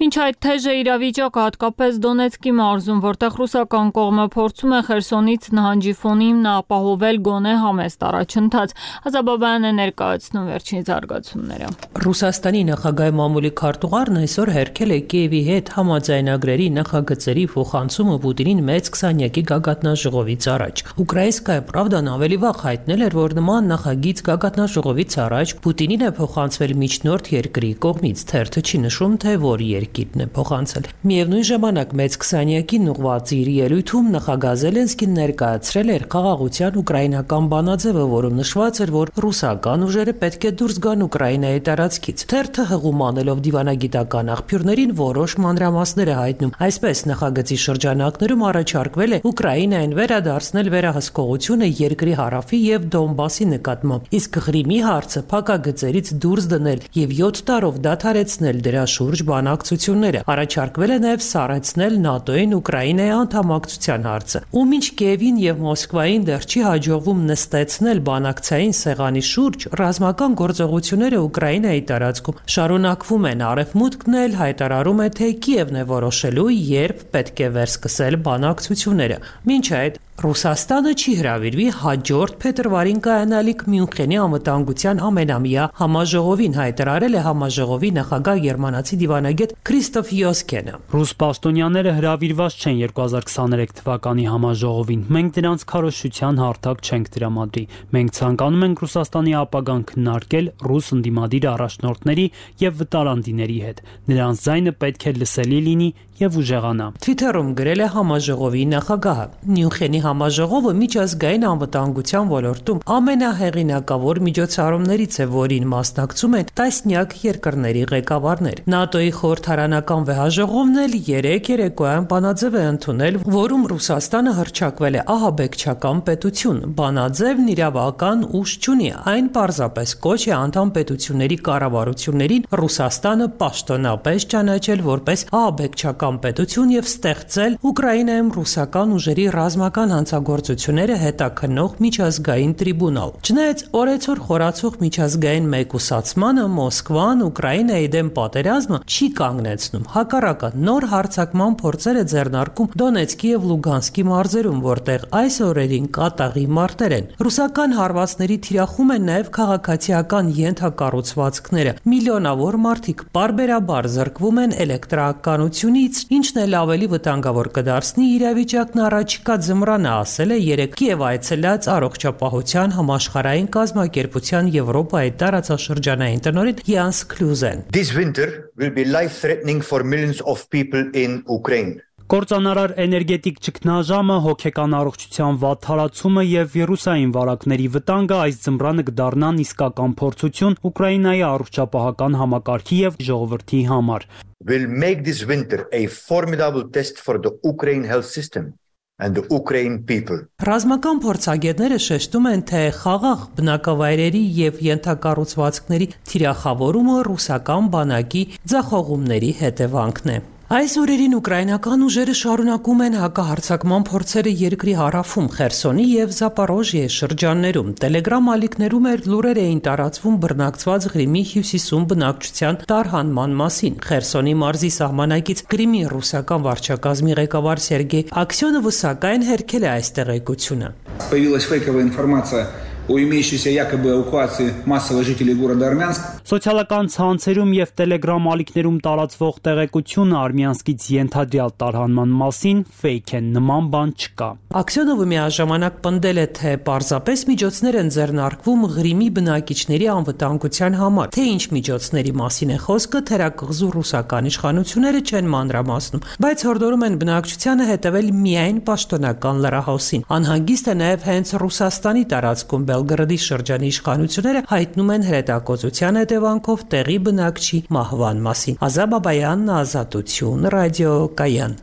Մինչ այդ թեժ է իրավիճակը, հատկապես Դոնեցկի մարզում, որտեղ ռուսական կողմը փորձում է Խերսոնից նահանջի ֆոնին ապահովել գոնե համեստ առաջընթաց։ Ազաբաբյանն է ներկայացնում վերջին զարգացումները։ Ռուսաստանի նախագահի մամուլի քարտուղարն այսօր հերքել է Կիևի հետ համաձայնագրերի նախագծերի փոխանցումը Պուտինին մեծ 20-յակի գագաթնաժողովից առաջ։ Ուկրաինսկայա Պրավդան ավելի վաղ հայտնել էր, որ նման նախագիծ գագաթնաժողովից առաջ Պուտինին է փոխանցվել միջնորդ երկրի կողմից, թերթը չի նշում, թե որ երկիրն է փոխանցել։ Միևնույն ժամանակ մեծ 20-յակին ուղղված իր ելույթում նախագահ Զելենսկին ներկայացրել էր խաղաղության ուկրաինական բանաձևը, որում նշված էր, որ ռուսական ուժերը պետք է դուրս գան Ուկրաինայի տարածքից։ Թերթը հղում անելով դիվանագիտական աղբյուրներին որոշ մանրամասներ է հայտնում։ Այսպես նախագծի շրջանակներում առաջարկվել է Ուկրաինային վերադարձնել վերահսկողությունը երկրի հարավի եւ Դոնբասի նկատմամբ, իսկ Ղրիմի հարցը փակագծերից դուրս դնել եւ 7 տարով դադարեցնել դրա շուրջ բանակցությունները։ Առաջարկվել է նաեւ սառեցնել ՆԱՏՕ-ին Ուկրաինայի անդամակցության հարցը։ Ու մինչ Կիևին եւ Մոսկվային դեռ չի հաջողվում նստեցնել բանակցային սեղանի շուրջ, ռազմական գործողությունները Ուկրաինայի տարածքում շարունակվում են։ Արևմուտքն էլ հայտարարում է, թե Կիևն է որոշելու, երբ պետք է վերսկսել բանակցությունները։ Մինչ այդ Ռուսաստանը չի հրավիրվի հաջորդ փետրվարին կայանալիք Մյունխենի անվտանգության ամենամյա համաժողովին, հայտարարել է համաժողովի նախագահ գերմանացի դիվանագետ Քրիստոֆ Յոսկենը։ Ռուս պաշտոնյաները հրավիրված չեն 2023 թվականի համաժողովին։ Մենք դրանց քարոզչության հարթակ չենք տրամադրի։ Մենք ցանկանում ենք Ռուսաստանի ապագան քննարկել ռուս ընդդիմադիր առաջնորդների եւ վտարանդիների հետ։ Նրանց ձայնը պետք է լսելի լինի եւ ուժեղանա։ Թվիթերում գրել է համաժողովի նախագահը։ Մյունխենի համաժողովը միջազգային անվտանգության ոլորտում ամենահեղինակավոր միջոցառումներից է, որին մասնակցում են տասնյակ երկրների ղեկավարներ։ ՆԱՏՕ-ի խորհրդարանական վեհաժողովն էլ 3 երեկոյան բանաձև է ընդունել, որում Ռուսաստանը հռչակվել է ահաբեկչական պետություն։ Բանաձևն իրավական ուժ չունի, այն պարզապես կոչ է անդամ պետությունների կառավարություններին Ռուսաստանը պաշտոնապես ճանաչել որպես ահաբեկչական պետություն եւ ստեղծել Ուկրաինայում ռուսական ուժերի ռազմական հանցագործությունները հետաքննող միջազգային տրիբունալ։ Չնայած օրեցօր խորացող միջազգային մեկուսացմանը Մոսկվան Ուկրաինայի դեմ պատերազմը չի կանգնեցնում։ Հակառակը նոր հարձակման փորձեր է ձեռնարկում Դոնեցկի եւ Լուգանսկի մարզերում, որտեղ այս օրերին կատաղի մարտեր են։ Ռուսական հարվածների թիրախում են նաեւ քաղաքացիական ենթակառուցվածքները։ Միլիոնավոր մարդիկ պարբերաբար զրկվում են էլեկտրականությունից, ինչն էլ ավելի վտանգավոր կդարձնի իրավիճակն առաջիկա ձմռանը, ասել է երեկ Կիև այցելած առողջապահության համաշխարհային կազմակերպության Եվրոպայի տարածաշրջանային տնօրեն Յանս Քլյուզեն։ This winter will be life-threatening for millions of people in Ukraine. Կործանարար էներգետիկ ճգնաժամը, հոգեկան առողջության վատ թարացումը եւ վիրուսային վարակների վտանգը այս ձմռանը կդառնան իսկական փորձություն Ուկրաինայի առողջապահական համակարգի եւ ժողովրդի համար։ Will make this winter a formidable test for the Ukraine health system and the Ukraine people. Ռազմական փորձագետները շեշտում են, թե խաղաղ բնակավայրերի եւ ենթակառուցվածքների թիրախավորումը ռուսական բանակի ձախողումների հետևանքն է։ Այս օրերին ուկրաինական ուժերը շարունակում են հակահարձակման փորձերը երկրի հարավում, Խերսոնի եւ Զապորոժիե շրջաններում։ Տելեգրամ ալիքներում լուրեր էին տարածվում բռնակցված Ղրիմի հյուսիսում բնակչության տարհանման մասին։ Խերսոնի մարզի սահմանակից Ղրիմի ռուսական վարչակազմի ղեկավար Սերգեյ Աքսյոնովը սակայն հերքել է այս տեղեկությունը։ Появилась фейковая информация о имеющейся якобы эвакуации массовых жителей города Армянск. Սոցիալական ցանցերում եւ Telegram ալիքներում տարածվող տեղեկությունը Արմյանսկից ենթադրյալ տարհանման մասին ֆեյք են, նման բան չկա։ Աքսյոնովը միաժամանակ պնդել է, թե պարզապես միջոցներ են ձեռնարկվում Ղրիմի բնակիչների անվտանգության համար, թե ինչ միջոցների մասին է խոսքը, թերակղզու ռուսական իշխանությունները չեն մանրամասնում, բայց հորդորում են բնակչությանը հետևել միայն պաշտոնական լրահոսին։ Անհանգիստ է նաեւ հենց Ռուսաստանի տարածքում Բելգրադի շրջանի իշխանությունները հայտնում են հրետակոծության հետևանքով տեղի բնակչի մահվան մասին։ Ազա Բաբայանն, Ազատություն, ռադիո Կայան։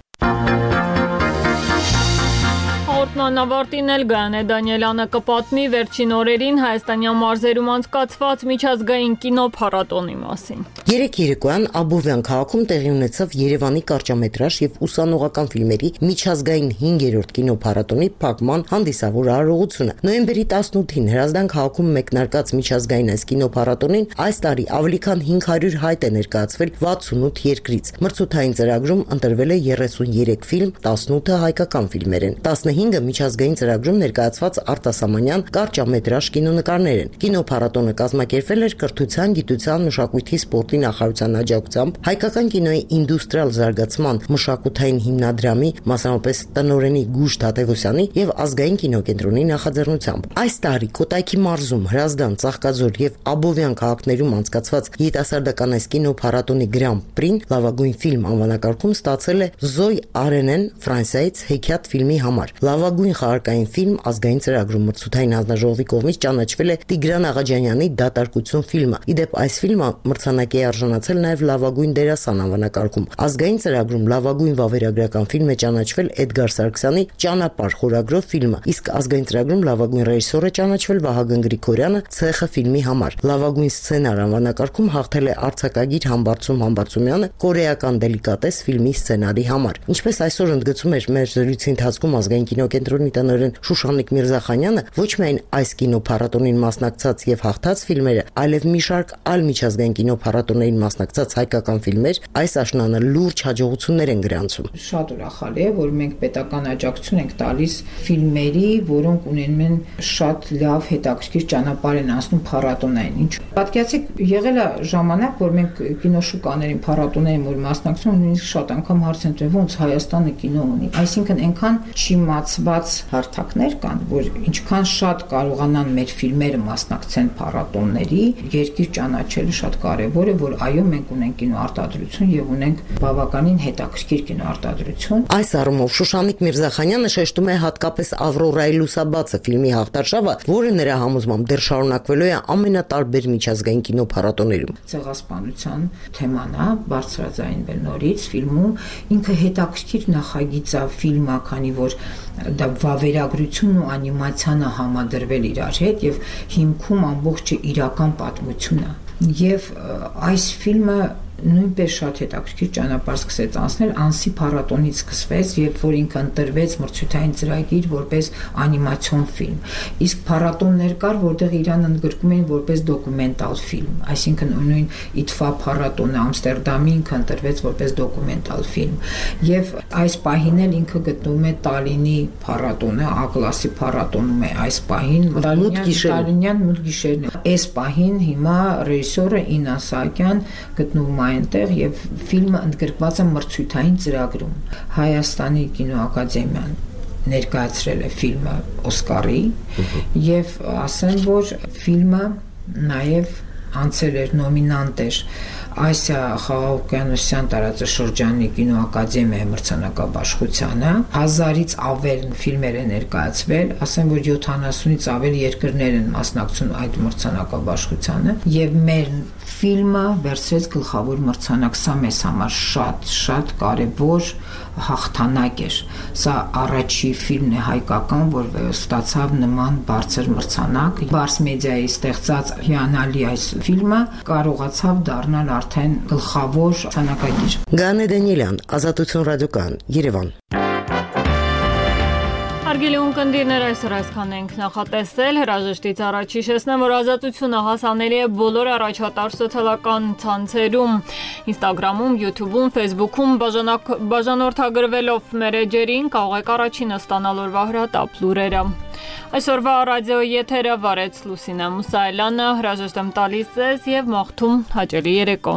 Անավարտին էլ Գայանե Դանիելյանը կպատնի վերջին օրերին հայաստանյան մարզերում անցկացված միջազգային կինոփառատոնի մասին։ Երեկ երեկոյան Աբովյան քաղաքում տեղի ունեցավ Երևանի կարճամետրաժ եւ ուսանողական ֆիլմերի միջազգային 5-րդ կինոփառատոնի փակման հանդիսավոր արարողությունը։ Նոյեմբերի 18-ին Հրազդան քաղաքում մեկնարկած միջազգային այս կինոփառատոնին այս տարի ավելի քան 500 հայտ է ներկայացվել 68 երկրից։ Մրցութային ծրագրում ընտրվել է 33 ֆիլմ, 18-ը հայկական ֆիլմեր են, 15-ը միջազգային ծրագրում ներկայացված արտասահմանյան կարճամետրաժ կինոնկարներ են։ Կինոփառատոնը կազմակերպվել էր Կրթության, Գիտության, Մշակույթի, Սպորտի նախարարության աջակցությամբ, Հայկական կինոյի ինդուստրիալ զարգացման մշակութային հիմնադրամի, մասնավորապես տնօրենի Գուշ Թադևոսյանի եւ Ազգային կինոկենտրոնի նախաձեռնությամբ։ Այս տարի Կոտայքի մարզում, Հրազդան, Ծաղկաձոր եւ Աբովյան քաղաքներում անցկացված երիտասարդական այս կինոփառատոնի Գրան Պրին լավագույն ֆիլմ անվանակարգում ստացել է Զոյ Արենեն Ֆրանսիայից Հեքիաթ ֆիլմի համար։ Լավագույն խաղարկային ֆիլմ ազգային ծրագրում մրցութային հանձնաժողովի կողմից ճանաչվել է Տիգրան Աղաջանյանի Դատարկություն ֆիլմը։ Իդեպ այս ֆիլմը մրցանակի է արժանացել նաև լավագույն դերասան անվանակարգում։ Ազգային ծրագրում լավագույն վավերագրական ֆիլմ է ճանաչվել Էդգար Սարգսյանի Ճանապարհ խորագրով ֆիլմը, իսկ ազգային ծրագրում լավագույն ռեժիսոր է ճանաչվել Վահագն Գրիգորյանը Ցեխը ֆիլմի համար։ Լավագույն սցենար անվանակարգում հաղթել է արձակագիր Համբարձում Համբարձումյանը Կորեական դելիկատես ֆիլմի սցենարի համար։ Ինչպես այսօր ընդգծում էր մեր զրույցի ընթացքում ազգային կինոկենտրոնի տնօրեն Շուշանիկ Միրզախանյանը, ոչ միայն այս կինոփառատոնին մասնակցած եւ հաղթած ֆիլմերը, այլև մի շարք այլ միջազգային կինոփառատոններին մասնակցած հայկական ֆիլմեր այս աշնանը լուրջ հաջողություններ են գրանցում։ Շատ ուրախալի է, որ մենք պետական աջակցություն ենք տալիս ֆիլմերի, որոնք ունենում են շատ լավ հետաքրքիր ճանապարհ են անցնում փառատոնային։ Ինչ պատկերացեք, եղել է ժամանակ, որ մենք կինոշուկաներին, փառատոներին որ մասնակցում, նույնիսկ շատ անգամ հարց են տվել, ոնց Հայաստանը կինո ունի։ Այսինքն այնքան չիմացված հարթակներ կան, որ ինչքան շատ կարողանան մեր ֆիլմերը մասնակցեն փառատոնների, երկիր ճանաչելը շատ կարևոր է, որ այո, մենք ունենք կինոարտադրություն եւ ունենք բավականին հետաքրքիր կինոարտադրություն։ Այս առումով Շուշանիկ Միրզախանյանը շեշտում է հատկապես Ավրորայի լուսաբացը ֆիլմի հաղթարշավը, որը նրա համոզմամբ դեռ շարունակվելու է ամենատարբեր միջազգային կինոփառատոներում։ Ցեղասպանության թեման է բարձրաձայնվել նորից ֆիլմում, ինքը հետաքրքիր նախագիծ է ֆիլմը, քանի որ դա վավերագրությունն ու անիմացիանը համադրվել իրար հետ եւ հիմքում ամբողջը իրական պատմություն է։ Եվ այս ֆիլմը նույնպես շատ հետաքրքիր ճանապարհ սկսեց անցնել, Անսի փառատոնից սկսվեց, երբ որ ինքը ընտրվեց մրցութային ծրագիր որպես անիմացիոն ֆիլմ։ Իսկ փառատոններ կար, որտեղ իրան ընդգրկում էին որպես դոկումենտալ ֆիլմ, այսինքն նույն IDFA փառատոնը Ամստերդամի ինքը ընտրվեց որպես դոկումենտալ ֆիլմ։ Եվ այս պահին էլ ինքը գտնվում է Տալինի փառատոնը, A կլասի փառատոնում է այս պահին, Տալինյան մութ գիշերն է։ Այս պահին հիմա ռեժիսորը Ինա Սահակյան գտնվում է այնտեղ եւ ֆիլմը ընդգրկված է մրցույթային ծրագրում։ Հայաստանի կինոակադեմիան ներկայացրել է ֆիլմը Օսկարի եւ ասեմ, որ ֆիլմը նաեւ անցել էր նոմինանտ էր Ասիա խաղաղօվկիանոսյան տարածաշրջանի կինոակադեմիայի մրցանակաբաշխությանը 1000-ից ավել ֆիլմեր է ներկայացվել, ասեմ, որ 70-ից ավել երկրներ են մասնակցում այդ մրցանակաբաշխությանը եւ մեր ֆիլմը վերցրեց գլխավոր մրցանակ, սա մեզ համար շատ կարևոր հաղթանակ էր։ Սա առաջի ֆիլմն է հայկական, որ ստացավ նման բարձր մրցանակ։ Բարս մեդիայի ստեղծած հիանալի այս ֆիլմը կարողացավ դառնալ արդեն գլխավոր մրցանակագիր։ Գանե Դանիելյան, Ազատություն ռադիոկայան, Երևան։ Հարգելի ունկնդիրներ, այսօր այսքան ենք նախատեսել, հրաժեշտից առաջ հիշեցնեմ, որ Ազատությունը հասանելի է բոլոր առաջատար սոցիալական ցանցերում, Instagram-ում, YouTube-ում, Facebook-ում, բաժանորդագրվելով մեր էջերին կարող եք առաջինը ստանալ օրվա հրատապ լուրերը։ Այսօրվա ռադիոյի եթերը վարեց Լուսինե Մուսայելյանը, հրաժեշտ եմ տալիս ձեզ եւ մաղթում հաճելի երեկո։